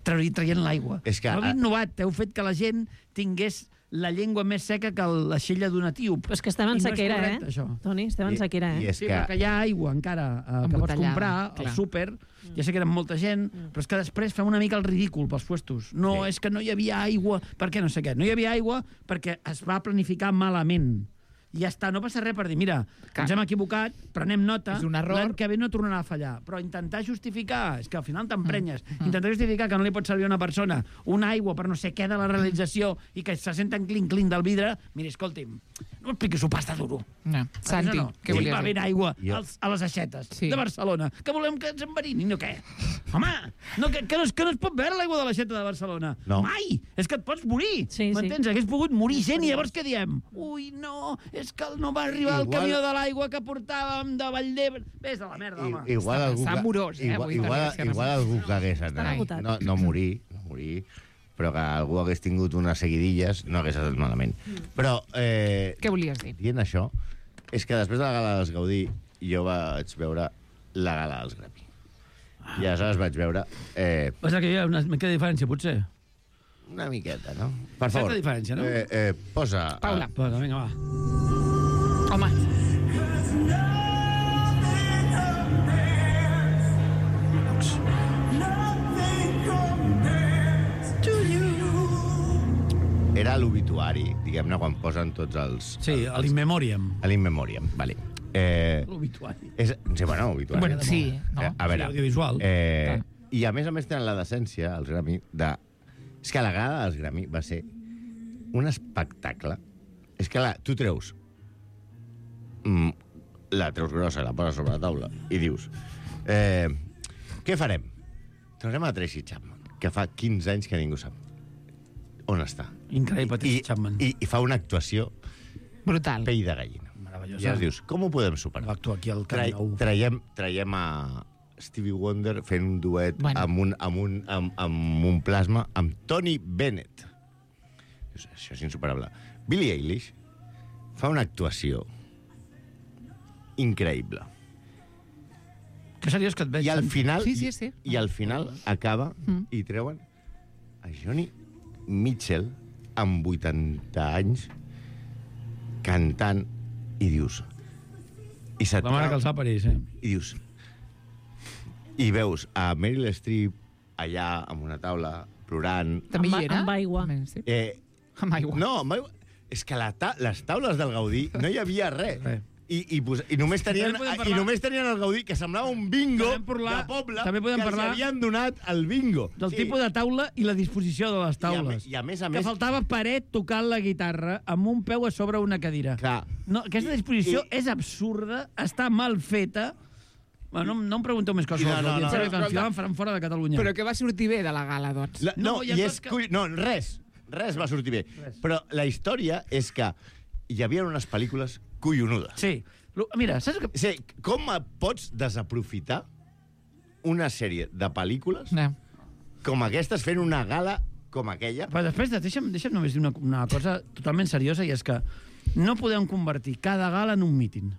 traient, traient l'aigua. És que- no heu innovat, heu fet que la gent tingués la llengua més seca que la xella d'un etíop. Però és que estem en I no és sequera, correcte, eh? això. Toni, estem en I- sequera, i eh? és Sí, que... perquè hi ha aigua encara eh, que pots Embotellada, comprar al clar. súper, ja sé que eren molta gent, però és que després fem una mica el ridícul pels puestos. No, Sí. és que no hi havia aigua, perquè no sé què. No hi havia aigua perquè es va planificar malament. i ja està, no passa res per dir, mira, Clar. ens hem equivocat, prenem nota, És un error. l'any que ve no tornarà a fallar. Però intentar justificar, és que al final t'emprenyes, Mm. intentar justificar que no li pot servir a una persona una aigua per no sé què de la realització i que se senten clinc-clinc del vidre, mira, escolti'm, no m'expliquis un pasta duro. No. Santi, no? què Sí, volies va dir? haver aigua Jo- als, a les aixetes Sí. de Barcelona, que volem que ens enverinin o què? Home, no, que, que, no, es- que no es pot veure l'aigua de l'aixeta de Barcelona. No. Mai! És que et pots morir. Sí, sí. M'entens? Hagués pogut morir gent i llavors què diem? Ui, no, és que no va arribar el Igual- camió de l'aigua que portàvem de Valldebre. Vés a la merda, home. I, igual Està- algú està que- amorós, eh, igual, avui igual, també, si igual algú que hagués Estan anat, agotats. no, no morir, no morir, però que algú hagués tingut unes seguidilles, no hagués estat malament. Però, eh, Què volies dir? dient això, és que després de la gala dels Gaudí, jo vaig veure la gala dels Grammy. I aleshores vaig veure eh, Passa que hi ha una mica de diferència, potser. una miqueta, no? Per Certa favor. diferència, no? Eh, eh, posa... Paula. Posa, vinga, va. Home, Eh, era l'obituari, diguem-ne, quan posen tots els... Sí, a l'in memoriam. A l'in memoriam, vale. Eh, L'obituari. és, sí, bueno, obituari. Bueno, sí, no? Eh, a veure, Sí, audiovisual. Eh, Clar. I a més a més tenen la decència, els Grammy, de... És que la gala dels Grammy va ser un espectacle. És que la, tu treus... Mm, la treus grossa, la poses sobre la taula i dius... Eh, què farem? Traurem a Tracy Chapman, que fa quinze anys que ningú sap on està. Increïble, Tracy Chapman. I, I fa una actuació brutal. pell de gallina. Meravellosa. I llavors dius, com ho podem superar? Va actuar aquí al Camp Trai, Nou. traiem, traiem a Stevie Wonder fent un duet Bueno. amb, un, amb, un, amb, amb un plasma amb Tony Bennett. Dius, això és insuperable. Billie Eilish fa una actuació increïble. Que seriós que et veig. I al Santi. final, Sí, sí, sí. I, i al final acaba Mm. i treuen a Joni Mitchell amb vuitanta anys cantant i dius... I se't La mare que trau- els va parir, sí. i dius... I veus a Meryl Streep allà amb una taula plorant... També Amb- hi era? amb aigua. Sí. Eh, Amb aigua. no, amb aigua. És que la ta les taules del Gaudí no hi havia res. Res. I, i, pos i, només tenien, També podem I parlar- només tenien el Gaudí, que semblava un bingo També parlar- de poble també podem que parlar els havien donat el bingo. Del sí. tipus de taula i la disposició de les taules. I a, me- i a més a Que més... faltava paret tocant la guitarra amb un peu a sobre una cadira. Clar. No, aquesta disposició I- és absurda, està mal feta. Bueno, no, no em pregunteu més coses. No, no, no. Però, que Però, al final em faran fora de Catalunya. Però què va sortir bé de la gala, doncs? La, no, No, hi ha i coses és que- que... no, res. Res va sortir bé. Res. Però la història és que hi havia unes pel·lícules collonudes. Sí. Lo- Mira, saps que... Sí, com pots desaprofitar una sèrie de pel·lícules No. com aquestes fent una gala com aquella? Però després, de- deixa'm, deixa'm només dir una, una cosa totalment seriosa, i és que no podem convertir cada gala en un míting.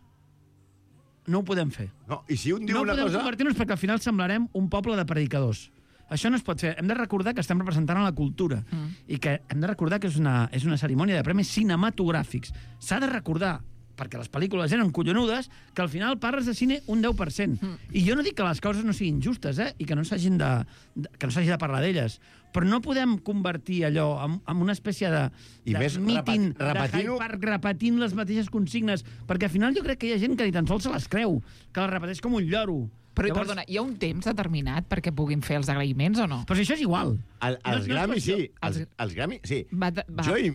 No ho podem fer. No, i si un diu No una podem cosa... convertir-nos perquè al final semblarem un poble de predicadors. Això no es pot fer. Hem de recordar que estem representant a la cultura Mm. i que hem de recordar que és una, és una cerimònia de premis cinematogràfics. S'ha de recordar, perquè les pel·lícules eren collonudes, que al final parles de cine un deu per cent. Mm. I jo no dic que les causes no siguin justes, eh? I que no s'hagin de, de, que no s'hagi de parlar d'elles. Però no podem convertir allò en, en una espècie de, I de més míting repat- repetint-ho- de Hyde Park repetint les mateixes consignes, perquè al final jo crec que hi ha gent que ni tan sols se les creu, que les repeteix com un lloro. Però, Llavors... perdona, hi ha un temps determinat perquè puguin fer els agraïments o no? Però si això és igual. El, No els és- no és Grammy, qüestió- sí. Els, els Grammy, sí. Va, de- va. Jo i...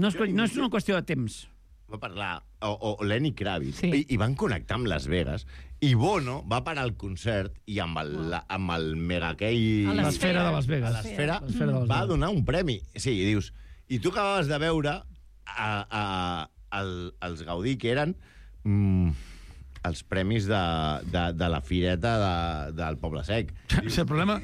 No és, jo i- no és una qüestió de temps. va parlar, o, o Lenny Kravitz, Sí. i, i van connectar amb Las Vegas, i Bono va parar el concert i amb el, la, amb el mega aquell... A L'esfera de Las Vegas. a l'esfera, L'esfera de Las va Vegas. donar un premi. Sí, i dius... I tu acabaves de veure a, a, el, els Gaudí, que eren mm, els premis de, de, de la fireta de, del Poble Sec. Sí, el problema...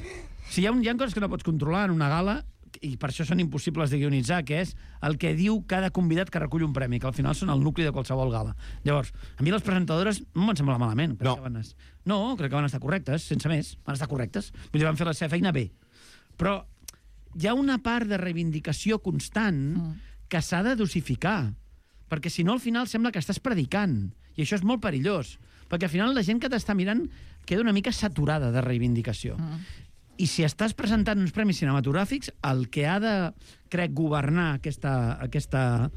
Si hi ha, un, hi ha coses que no pots controlar en una gala, i per això són impossibles de guionitzar, que és el que diu cada convidat que recull un premi, que al final són el nucli de qualsevol gala. Llavors, a mi les presentadores no m'han semblat malament. Crec No. Que van es... No, crec que van estar correctes, sense més. Van estar correctes. Vull dir, van fer la seva feina bé. Però hi ha una part de reivindicació constant Mm. que s'ha de dosificar, perquè si no al final sembla que estàs predicant, i això és molt perillós, perquè al final la gent que t'està mirant queda una mica saturada de reivindicació. Mm. I si estàs presentant uns premis cinematogràfics, el que ha de, crec, governar aquesta, aquesta,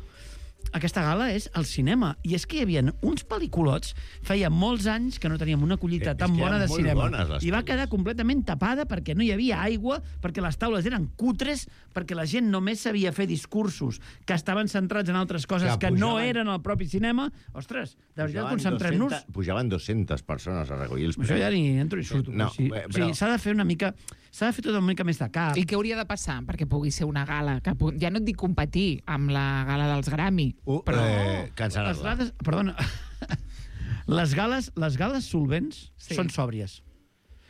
aquesta gala és el cinema. I és que hi havia uns pel·lículots, feia molts anys que no teníem una collita És tan que bona eren de molt cinema. bones, les I va pel·lis. quedar completament tapada perquè no hi havia aigua, perquè les taules eren cutres, perquè la gent només sabia fer discursos que estaven centrats en altres coses que, Que que no pujaven- eren el propi cinema. Ostres, de veritat, Pujaven concentrem-nos... dues-centes Pujaven dues-centes persones a recollir els Això ja ni entro ni surto. No, sí. bé, O però- sigui, s'ha de fer una mica... S'ha de fer tot una mica més de cap. I què hauria de passar perquè pugui ser una gala? Que pu- ja no et dic competir amb la gala dels Grammy, Uh, però... eh, Les cancel·lar-la. gales... Perdona. les gales, les gales solvents Sí. són sòbries.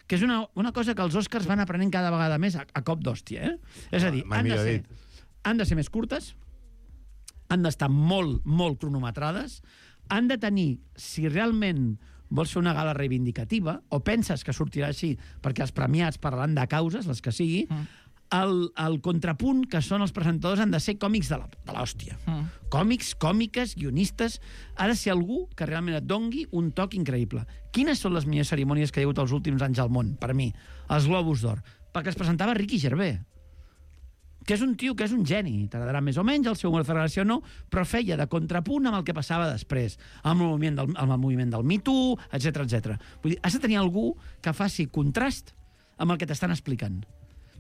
Que és una, una cosa que els Oscars van aprenent cada vegada més a, a cop d'hòstia, eh? És a dir, Mai han de, millor ser, dit. han de ser més curtes, han d'estar molt, molt cronometrades, han de tenir, si realment vols fer una gala reivindicativa, o penses que sortirà així perquè els premiats parlaran de causes, les que sigui, Mm. el, el contrapunt que són els presentadors han de ser còmics de la- de l'hòstia. Mm. Còmics, còmiques, guionistes... Ha de ser algú que realment et dongui un toc increïble. Quines són les millors cerimònies que hi ha hagut els últims anys al món, per mi? Els Globus d'Or. Perquè es presentava Ricky Gervais, que és un tio que és un geni, t'agradarà més o menys, el seu humor de federació no, però feia de contrapunt amb el que passava després, amb el moviment del, amb el moviment del Me Too, etcètera, etcètera. Vull dir, has de tenir algú que faci contrast amb el que t'estan explicant.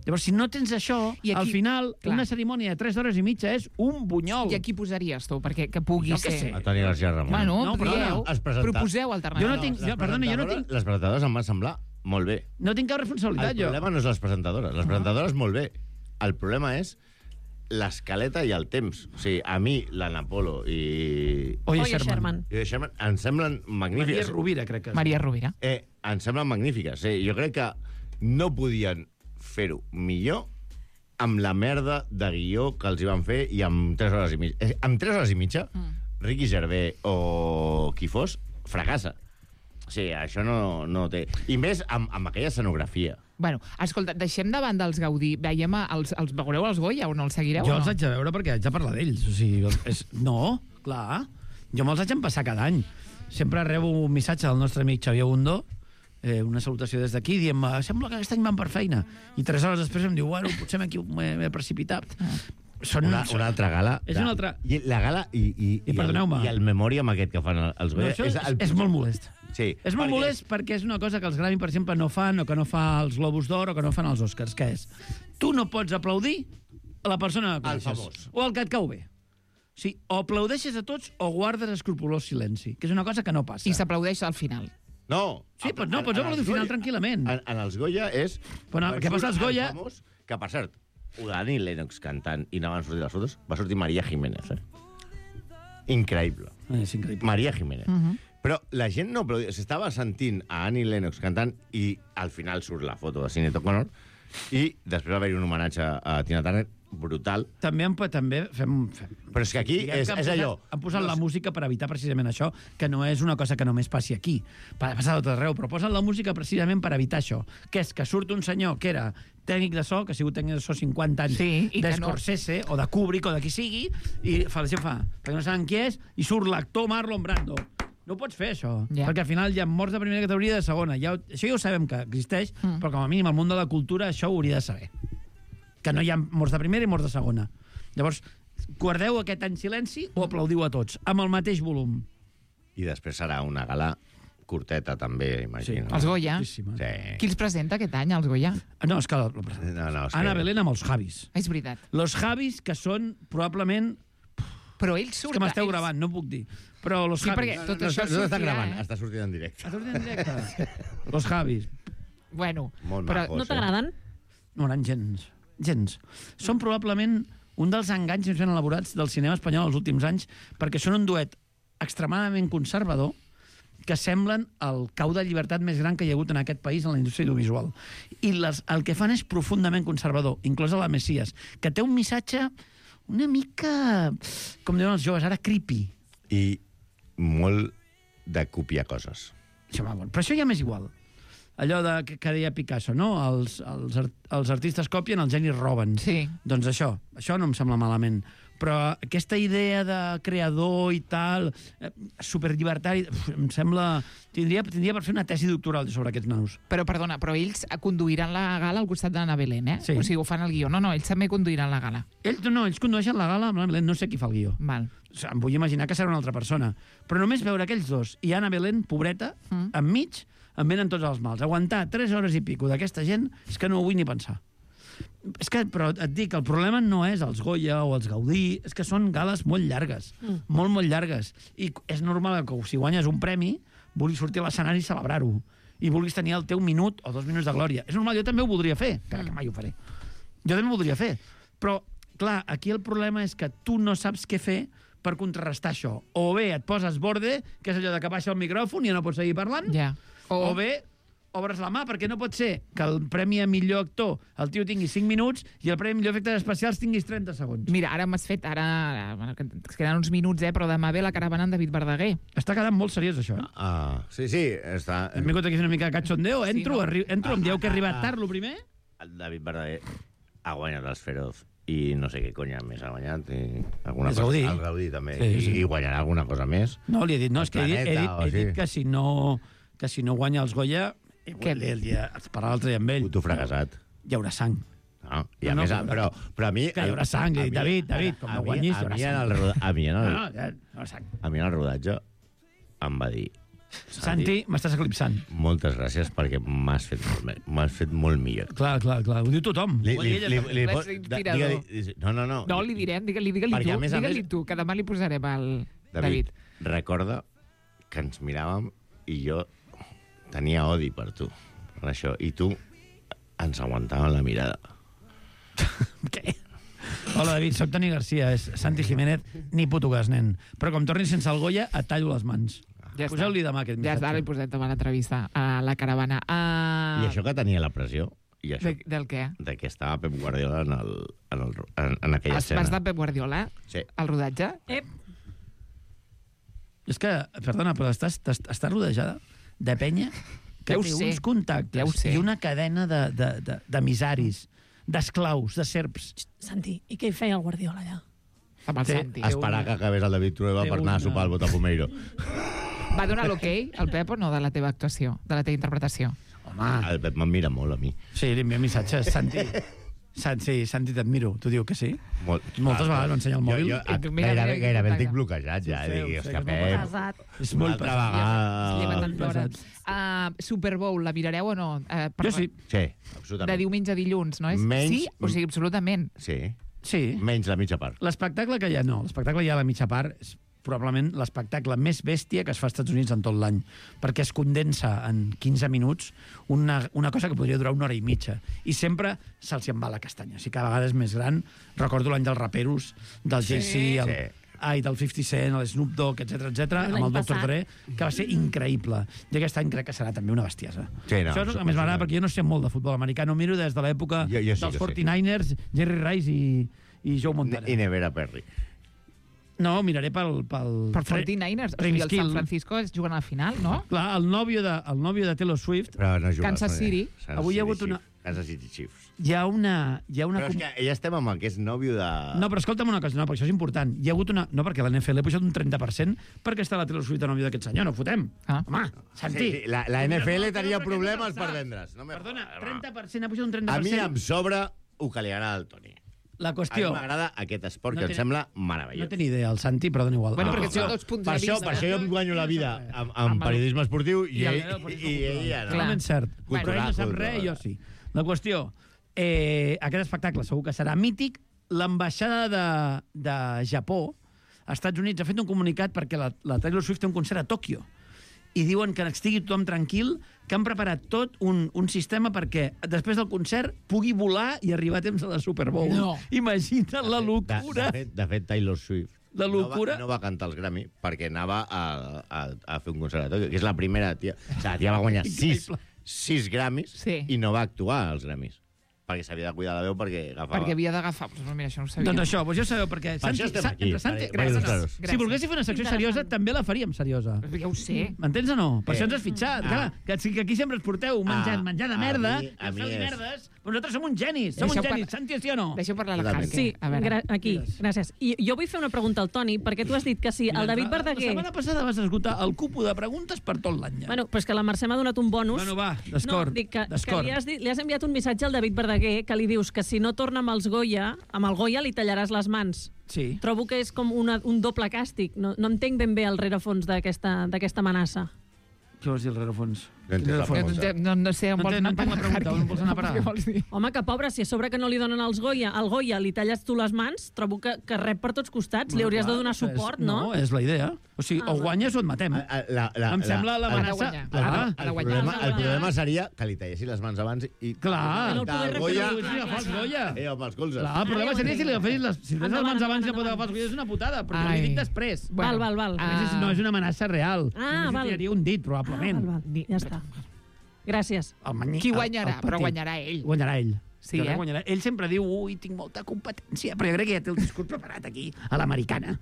Llavors, si no tens això, I aquí- al final, clar. una cerimònia de tres hores i mitja és un bunyol. I a qui posaries tu perquè que pugui Jo què ser... sé. A Toni García Ramon. Bueno, No, però dieu, has presentat- proposeu Jo alternatives. no tinc- les perdona, jo no presentadores- tinc- Les presentadores em van semblar molt bé. No tinc cap responsabilitat, El jo. problema no és les presentadores. Les presentadores, molt bé. El problema és l'escaleta i el temps. O sigui, a mi, l'Anna Polo i... Oye, Oye, Sherman. Sherman. i Sherman em semblen Maria magnífiques. Rovira, crec que és. Maria Rovira. Eh, em semblen magnífiques. Eh? Jo crec que no podien fer-ho millor amb la merda de guió que els hi van fer i amb tres hores i mitja. Eh, amb tres hores i mitja, mm. Ricky Gervais o qui fos, fracassa. O sigui, això no, no té... I més amb, amb aquella escenografia. Bueno, escolta, deixem de banda els Gaudí. Veiem els, els veureu els Goya o no els seguireu? Jo o els no? haig de veure perquè haig de parlar d'ells. O sigui, és... No, clar. Jo me'ls haig de passar cada any. Sempre rebo un missatge del nostre amic Xavier Bundó, eh, una salutació des d'aquí, dient sembla que aquest any van per feina. I tres hores després em diu, bueno, potser m'he m'he precipitat. Són, Una, una altra gala. És de- una altra- I la gala i, i, I i, el, perdoneu-me. i el memòriam aquest que fan els No, Goya... això és, el és molt molest. Sí, És molt perquè- molest perquè és una cosa que els Grammy, per exemple, no fan, o que no fa els Globus d'Or, o que no fan els Oscars, que és tu no pots aplaudir a la persona que Al coneixes. famós. O al que et cau bé. O sigui, o aplaudeixes a tots o guardes escrupolós silenci, que és una cosa que no passa. I s'aplaudeix al final. No. Sí, però no, pots En- en aplaudir els al final Goya- tranquil·lament. En, en els Goya és... Però no, què passa als el Goya? Famós, que, per cert, Dani Lennox cantant i no van sortir les fotos, va sortir Maria Jiménez, eh? Increïble. Eh, És increïble. Maria Jiménez. Uh -huh. Però la gent no aplaudia. S'estava sentint a Annie Lennox cantant i al final surt la foto de Sinead O'Connor i després va haver-hi un homenatge a Tina Turner brutal. També, em, també fem, fem Però és que aquí Diguem és, que han és posat, allò... Han posat no la és- música per evitar precisament això, que no és una cosa que només passi aquí. Pa- Passa a tot arreu, però posen la música precisament per evitar això, que és que surt un senyor que era tècnic de so, que ha sigut tècnic de so cinquanta anys, Sí, i que no- d'Scorsese, o de Kubrick, o de qui sigui, i fa la gent fa, perquè no saben qui és, i surt l'actor Marlon Brando. No pots fer això, Ja. perquè al final hi ha morts de primera categoria i de segona. Ja, ho- això ja ho sabem que existeix, Mm. però com a mínim el món de la cultura això ho hauria de saber. Que no hi ha morts de primera i morts de segona. Llavors, guardeu aquest any silenci o aplaudiu a tots, amb el mateix volum. I després serà una gala curteta, també, imagino. Els Goya. Curtíssima. Sí. Qui els presenta aquest any, els Goya? No, és que... La, No, no, és Ana que... Belén amb els Javis. És veritat. Los Javis, que són probablement... Però ells És surten... que m'esteu ells- gravant, no puc dir. Però los Sí, Javis... perquè tot no, això no, no està sortirà, gravant, eh? està sortint en directe. Ha sortit en directe. Los Javis. Bueno, Molt però macos, No t'agraden? No eren gens. Gens. Són probablement un dels enganys més ben elaborats del cinema espanyol els últims anys, perquè són un duet extremadament conservador que semblen el cau de llibertat més gran que hi ha hagut en aquest país en la indústria audiovisual. I les, el que fan és profundament conservador, inclosa la Messias, que té un missatge una mica, com diuen els joves ara, creepy. I molt de copiar coses. Això, va, bueno. Però això ja m'és igual. Allò de, que, que deia Picasso, no? Els, els, art, els artistes copien, els genis roben. Sí. Doncs això, això no em sembla malament. Però aquesta idea de creador i tal, eh, superllibertari, uf, em sembla... Tindria, tindria per fer una tesi doctoral sobre aquests nanos. Però, perdona, però ells conduiran la gala al costat d'Anna Belén, eh? Sí. O sigui, ho fan el guió. No, no, ells també conduiran la gala. Ells no, ells condueixen la gala amb la Belén, no sé qui fa el guió. Val. em vull imaginar que serà una altra persona. Però només veure aquells dos i Anna Belén, pobreta, mm. enmig, em venen tots els mals. Aguantar tres hores i pico d'aquesta gent és que no ho vull ni pensar. És que, però et dic, el problema no és els Goya o els Gaudí, és que són gales molt llargues, mm. molt, molt llargues. I és normal que si guanyes un premi, vulguis sortir a l'escenari i celebrar-ho. I vulguis tenir el teu minut o dos minuts de glòria. És normal, jo també ho voldria fer, encara que mai ho faré. Jo també ho voldria fer. Però, clar, aquí el problema és que tu no saps què fer per contrarrestar això. O bé et poses borde, que és allò de que baixa el micròfon i ja no pots seguir parlant, yeah. o... o bé obres la mà, perquè no pot ser que el premi a millor actor el tio tingui cinc minuts i el premi a millor efectes especials tinguis trenta segons. Mira, ara m'has fet, ara... Bueno, que ens queden uns minuts, eh, però demà ve la caravana en David Verdaguer. Està quedant molt seriós, això. Eh? Ah, sí, sí, està... Hem vingut aquí una mica de cachondeo, entro, sí, no? arri... entro, em dieu que he arribat tard, lo primer? El David Verdaguer ha guanyat els Feroz i no sé què conya més ha guanyat. I alguna el Gaudí. Cosa, el Gaudí també. Sí, sí. I, I guanyarà alguna cosa més. No, li he dit, no, és que he dit, he dit, he dit sí. que, si no, que si no guanya els Goya, que el dia, per l'altre dia amb ell. Puto fracassat. Hi haurà sang. No, i a no, més, no, però, però a mi... Que hi haurà sang, a, a David, mi, David, com a no mi- guanyis, a hi haurà mi en sang. el roda- A mi en el, No, no, ja, hi haurà sang. a mi en el rodatge em va dir... Santi, m'estàs eclipsant. Moltes gràcies perquè m'has fet, molt me- m'has fet molt millor. Clar, clar, clar, ho diu tothom. Li, li, li, li, li, És inspirador. digue-li- no, no, no. No, li direm, digue-li digue Perquè, tu, a més a digue-li més- tu, que demà li posarem al David, David. recorda que ens miràvem i jo tenia odi per tu, per això, i tu ens aguantàvem la mirada. Què? Hola, David, soc Toni Garcia, és Santi Jiménez, ni puto gas, nen. Però com tornis sense el Goya, et tallo les mans. Ja està. Poseu-li demà aquest Ja missatge. està, li posem demà l'entrevista a la caravana. Uh... I això que tenia la pressió, i això, De, del què? de que estava Pep Guardiola en, el, en, el, en, en aquella Has, escena. vas de Pep Guardiola Sí. al rodatge? Ep, És que, perdona, però estàs, estàs, estàs rodejada de penya que Ja ho té sé. uns contactes Ja ho sé. i una cadena de, de, de, d'emissaris, d'esclaus, de serps. Santi, i què hi feia el Guardiola allà? Amb el Té- Santi. Esperar que acabés el David Trueba Té per anar a una- sopar al Botafumeiro. Va donar l'ok, el Pep, o no, de la teva actuació, de la teva interpretació? Home, El Pep me'n mira molt a mi. sí, li envia missatges. Santi, Santi, Santi, t'admiro. Tu diu que sí? Molt. Moltes vegades m'ensenya el mòbil. Jo, jo, I tu, mira, gairebé, mira, gairebé el mira. tinc bloquejat ja. Sí, Dic, sí, hòstia, que és molt Pep, Pesat. És una molt altra pesat. Es lleva vegada... tant d'hora. pesat. Uh, Super Bowl, la mirareu o no? Uh, Jo sí. Sí, De absolutament. diumenge a dilluns, no és? Menys- Sí? O sigui, absolutament. Sí, Sí. menys la mitja part. L'espectacle que hi ha, no. L'espectacle hi ha a la mitja part és probablement l'espectacle més bèstia que es fa als Estats Units en tot l'any, perquè es condensa en quinze minuts una, una cosa que podria durar una hora i mitja. I sempre se'ls en va la castanya. O sigui, cada vegada és més gran. Recordo l'any dels raperos, del Jay-Z, el, Sí. ai, del fifty cent, el Snoop Dogg, etcètera, etcètera, L'any amb el doctor passat. Dre, que va ser increïble. I aquest any crec que serà també una bestiesa. Sí, no, Això és el suposo que més m'agrada, que- perquè jo no sé molt de futbol americà, no miro des de l'època Jo- jo sí dels que sí. forty-niners, Jerry Rice i, i Joe Montana. I Nevera Perry. No, miraré pel... pel Per forty-niners. O sigui, el Skill. San Francisco es juguen a la final, no? Clar, el nòvio de, el nòvio de Taylor Swift, Però no juga. Kansas no, City. Kansas Avui hi ha City hagut una- Chiefs. Kansas City Chiefs. hi ha una... Hi ha una Però és com- que ja estem amb el que és nòvio de... No, però escolta'm una cosa, no, perquè això és important. Hi ha hagut una... No, perquè l'N F L ha pujat un trenta per cent perquè està la Taylor Swift de nòvio d'aquest senyor, no fotem. Ah. Home, Santi. Sí, sí, la, la N F L No, no, tenia no, problemes no, per no, vendre's. No me Perdona, jodas, trenta home. per cent ha pujat un trenta A per mi cent. em sobra el que li agrada al Toni. La A mi qüestió... m'agrada aquest esport No que té- em sembla No meravellós. té ni idea, el Santi, però dona igual. Bueno, Ah, perquè ah, són dos punts per de això, vista. per això jo em guanyo la vida amb, amb Amb el- periodisme esportiu i, I el ell, meu, per i, això i ella no. Totalment cert. Cultural, Però ell no sap cultural. res, jo sí. La qüestió, eh, aquest espectacle segur que serà mític. L'ambaixada de, de Japó, als Estats Units, ha fet un comunicat perquè la, la Taylor Swift té un concert a Tòquio. I diuen que estigui tothom tranquil, que han preparat tot un, un sistema perquè després del concert pugui volar i arribar a temps a la Super Bowl. No. Imagina't la De, locura. de, fet, de fet, Taylor Swift La locura. No va, no va cantar els Grammy perquè anava a, a, a fer un concert a Tòquio, que és la primera tia... O sigui, la tia va guanyar sis, Increïble. sis Grammys Sí. i no va actuar als Grammys. Perquè s'havia de cuidar la veu perquè agafava... Perquè havia d'agafar... Pues mira, això no ho sabia. Doncs això, doncs ja sabeu, perquè... Per això estem aquí, entre Santi, per- per gràcies. il·lustrar-ho. Si volguéssiu fer una secció seriosa, també la faríem seriosa. Ja ho sé. M'entens o no? Per Eh. això ens has fitxat. Ah. Clar, que, que aquí sempre ens porteu menjant, Ah, menjar de a merda, mi- a i mi feu és- merdes, però nosaltres som uns genis, som Deixeu uns genis. par- Santi, sí o no? Deixeu parlar la Totalment. Carque. Sí, A veure. gra aquí, gràcies. I jo vull fer una pregunta al Toni, perquè tu has dit que si el David La Verdaguer... setmana passada vas esgotar el cupo de preguntes per tot l'any. Ja. Bueno, però és que la Mercè m'ha donat un bonus. Bueno, va, d'escort, No, dic que, que d'escort. li, has dit, li has enviat un missatge al David Verdaguer Balaguer, que li dius que si no torna amb els Goya, amb el Goya li tallaràs les mans. Sí. Trobo que és com una, un doble càstig. No, no entenc ben bé el rerefons d'aquesta amenaça. Què vols dir, el rerefons? No entenc la pregunta. No, no sé on No vols entenc- no anar entenc la pregunta, on vols anar a parar? Què vols dir? Home, que pobre, si a sobre que no li donen els Goya, al Goya li talles tu les mans, trobo que, que rep per tots costats. Li hauries de donar Clar, suport, és, no? No, és la idea. O sigui, Ah, o guanyes o et matem. Ah, la, la, Em sembla la, l'amenaça... el- Clar, Ha El, de guanyar. problema, Ha de el guanyar. problema seria que li tallessin les mans abans i... Clar. No el poder del Goya... reproduir. Sí, agafar els Goya. Eh, amb els colzes. Clar, el problema ja ho seria si li entenc. agafessis les... Si li agafessis les mans abans i no pot Endavant, agafar els Goya, és una putada, però jo Ai. li dic després. Val, val, val. A més, és- no és una amenaça real. Ah, Només li val. tiraria un dit, probablement. Val, val. Ja està. Gràcies. El manyi, Qui el- guanyarà? el Però petit. guanyarà ell. Guanyarà ell. Sí, Jo crec eh? que guanyarà. Ell sempre diu, ui, tinc molta competència, però jo crec que ja té el discurs preparat aquí, a l'americana.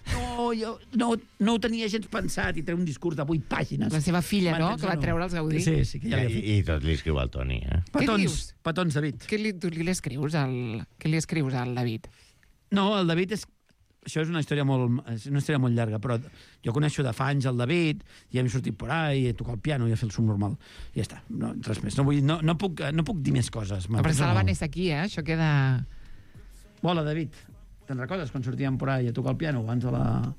No, jo no, no ho tenia gens pensat i treu un discurs de vuit pàgines. La seva filla, no?, M'entens que va o no? treure els Gaudí. Sí, sí, que ja I, li ha fet. I tot li escriu al Toni, eh? Què Petons, dius? petons, David. Què li, tu li escrius al, què li escrius al David? No, el David és... Això és una història molt, és una història molt llarga, però jo coneixo de fa anys el David, i hem sortit por ahí, i tocar el piano i a fer el subnormal. I ja està, no, res més. No, vull, no, no, puc, no puc dir més coses. No, però se la va néixer aquí, eh? Això queda... Hola, David. Te'n recordes quan sortíem por ahí a tocar el piano abans de la,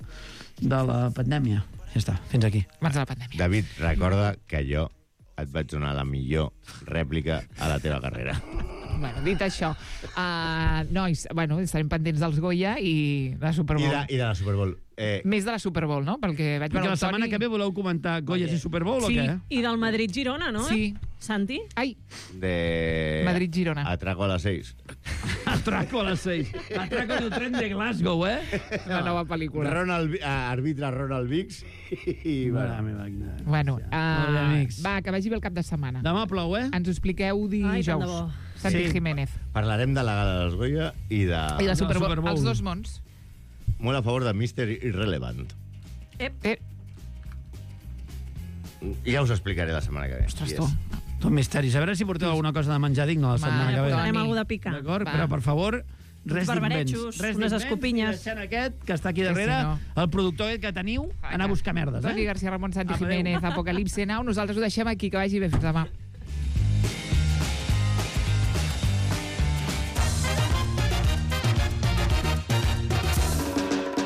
de la pandèmia? Ja està, fins aquí. Abans de la pandèmia. David, recorda que jo et vaig donar la millor rèplica a la teva carrera. Bueno, dit això, uh, nois, bueno, estarem pendents dels Goya i de la Super I Bowl. de, i de la Super Bowl. Eh, Més de la Super Bowl, no? Perquè vaig Perquè veure la el Toni... setmana que ve voleu comentar Goyas i Super Bowl Sí, o què? i del Madrid-Girona, no? Sí. Santi? Ai, de... Madrid-Girona. Atraco a les seis. Atraco a les seis. Atraco del tren de Glasgow, eh? la nova pel·lícula. Ronald, Vi- ah, arbitra Ronald Vicks i... Mare Bueno, meva, quina... Bueno, Molt bé, uh, amics. va, que vagi bé el cap de setmana. Demà plou, eh? Ens ho expliqueu Ai, tant de dijous. bo. Santi Sí. Jiménez. parlarem de la gala dels Goya i de... I la la Super Bowl, Super Bowl. els dos mons. Molt a favor de mister Irrelevant. Eh, Ja us explicaré la setmana que ve. ostres, Qui tu. és. Tot misteris. A veure si porteu alguna cosa de menjar digne la setmana Va, que ve. Toni. Anem a algú de picar. D'acord? Va. Però, per favor, res barbarejos, d'invents. Res unes d'invents, escopinyes. i deixant aquest, que està aquí Que si darrere, no. el productor aquest que teniu, anar a buscar merdes, Toni eh? García Ramon, Santi Apa, adéu. Jiménez, Apocalipse Now. Nosaltres ho deixem aquí, que vagi bé. Fins demà.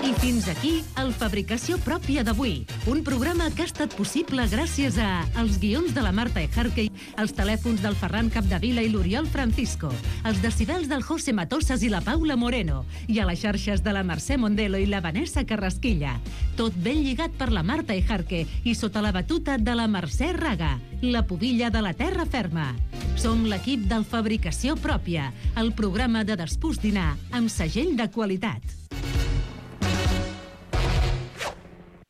I fins aquí el Fabricació Pròpia d'avui, un programa que ha estat possible gràcies a els guions de la Marta Ejarque, els telèfons del Ferran Capdevila i l'Oriol Francisco, els decibels del José Matosas i la Paula Moreno, i a les xarxes de la Mercè Mondelo i la Vanessa Carrasquilla. Tot ben lligat per la Marta Ejarque i sota la batuta de la Mercè Raga, la pubilla de la terra ferma. Som l'equip del Fabricació Pròpia, el programa de despús dinar amb segell de qualitat.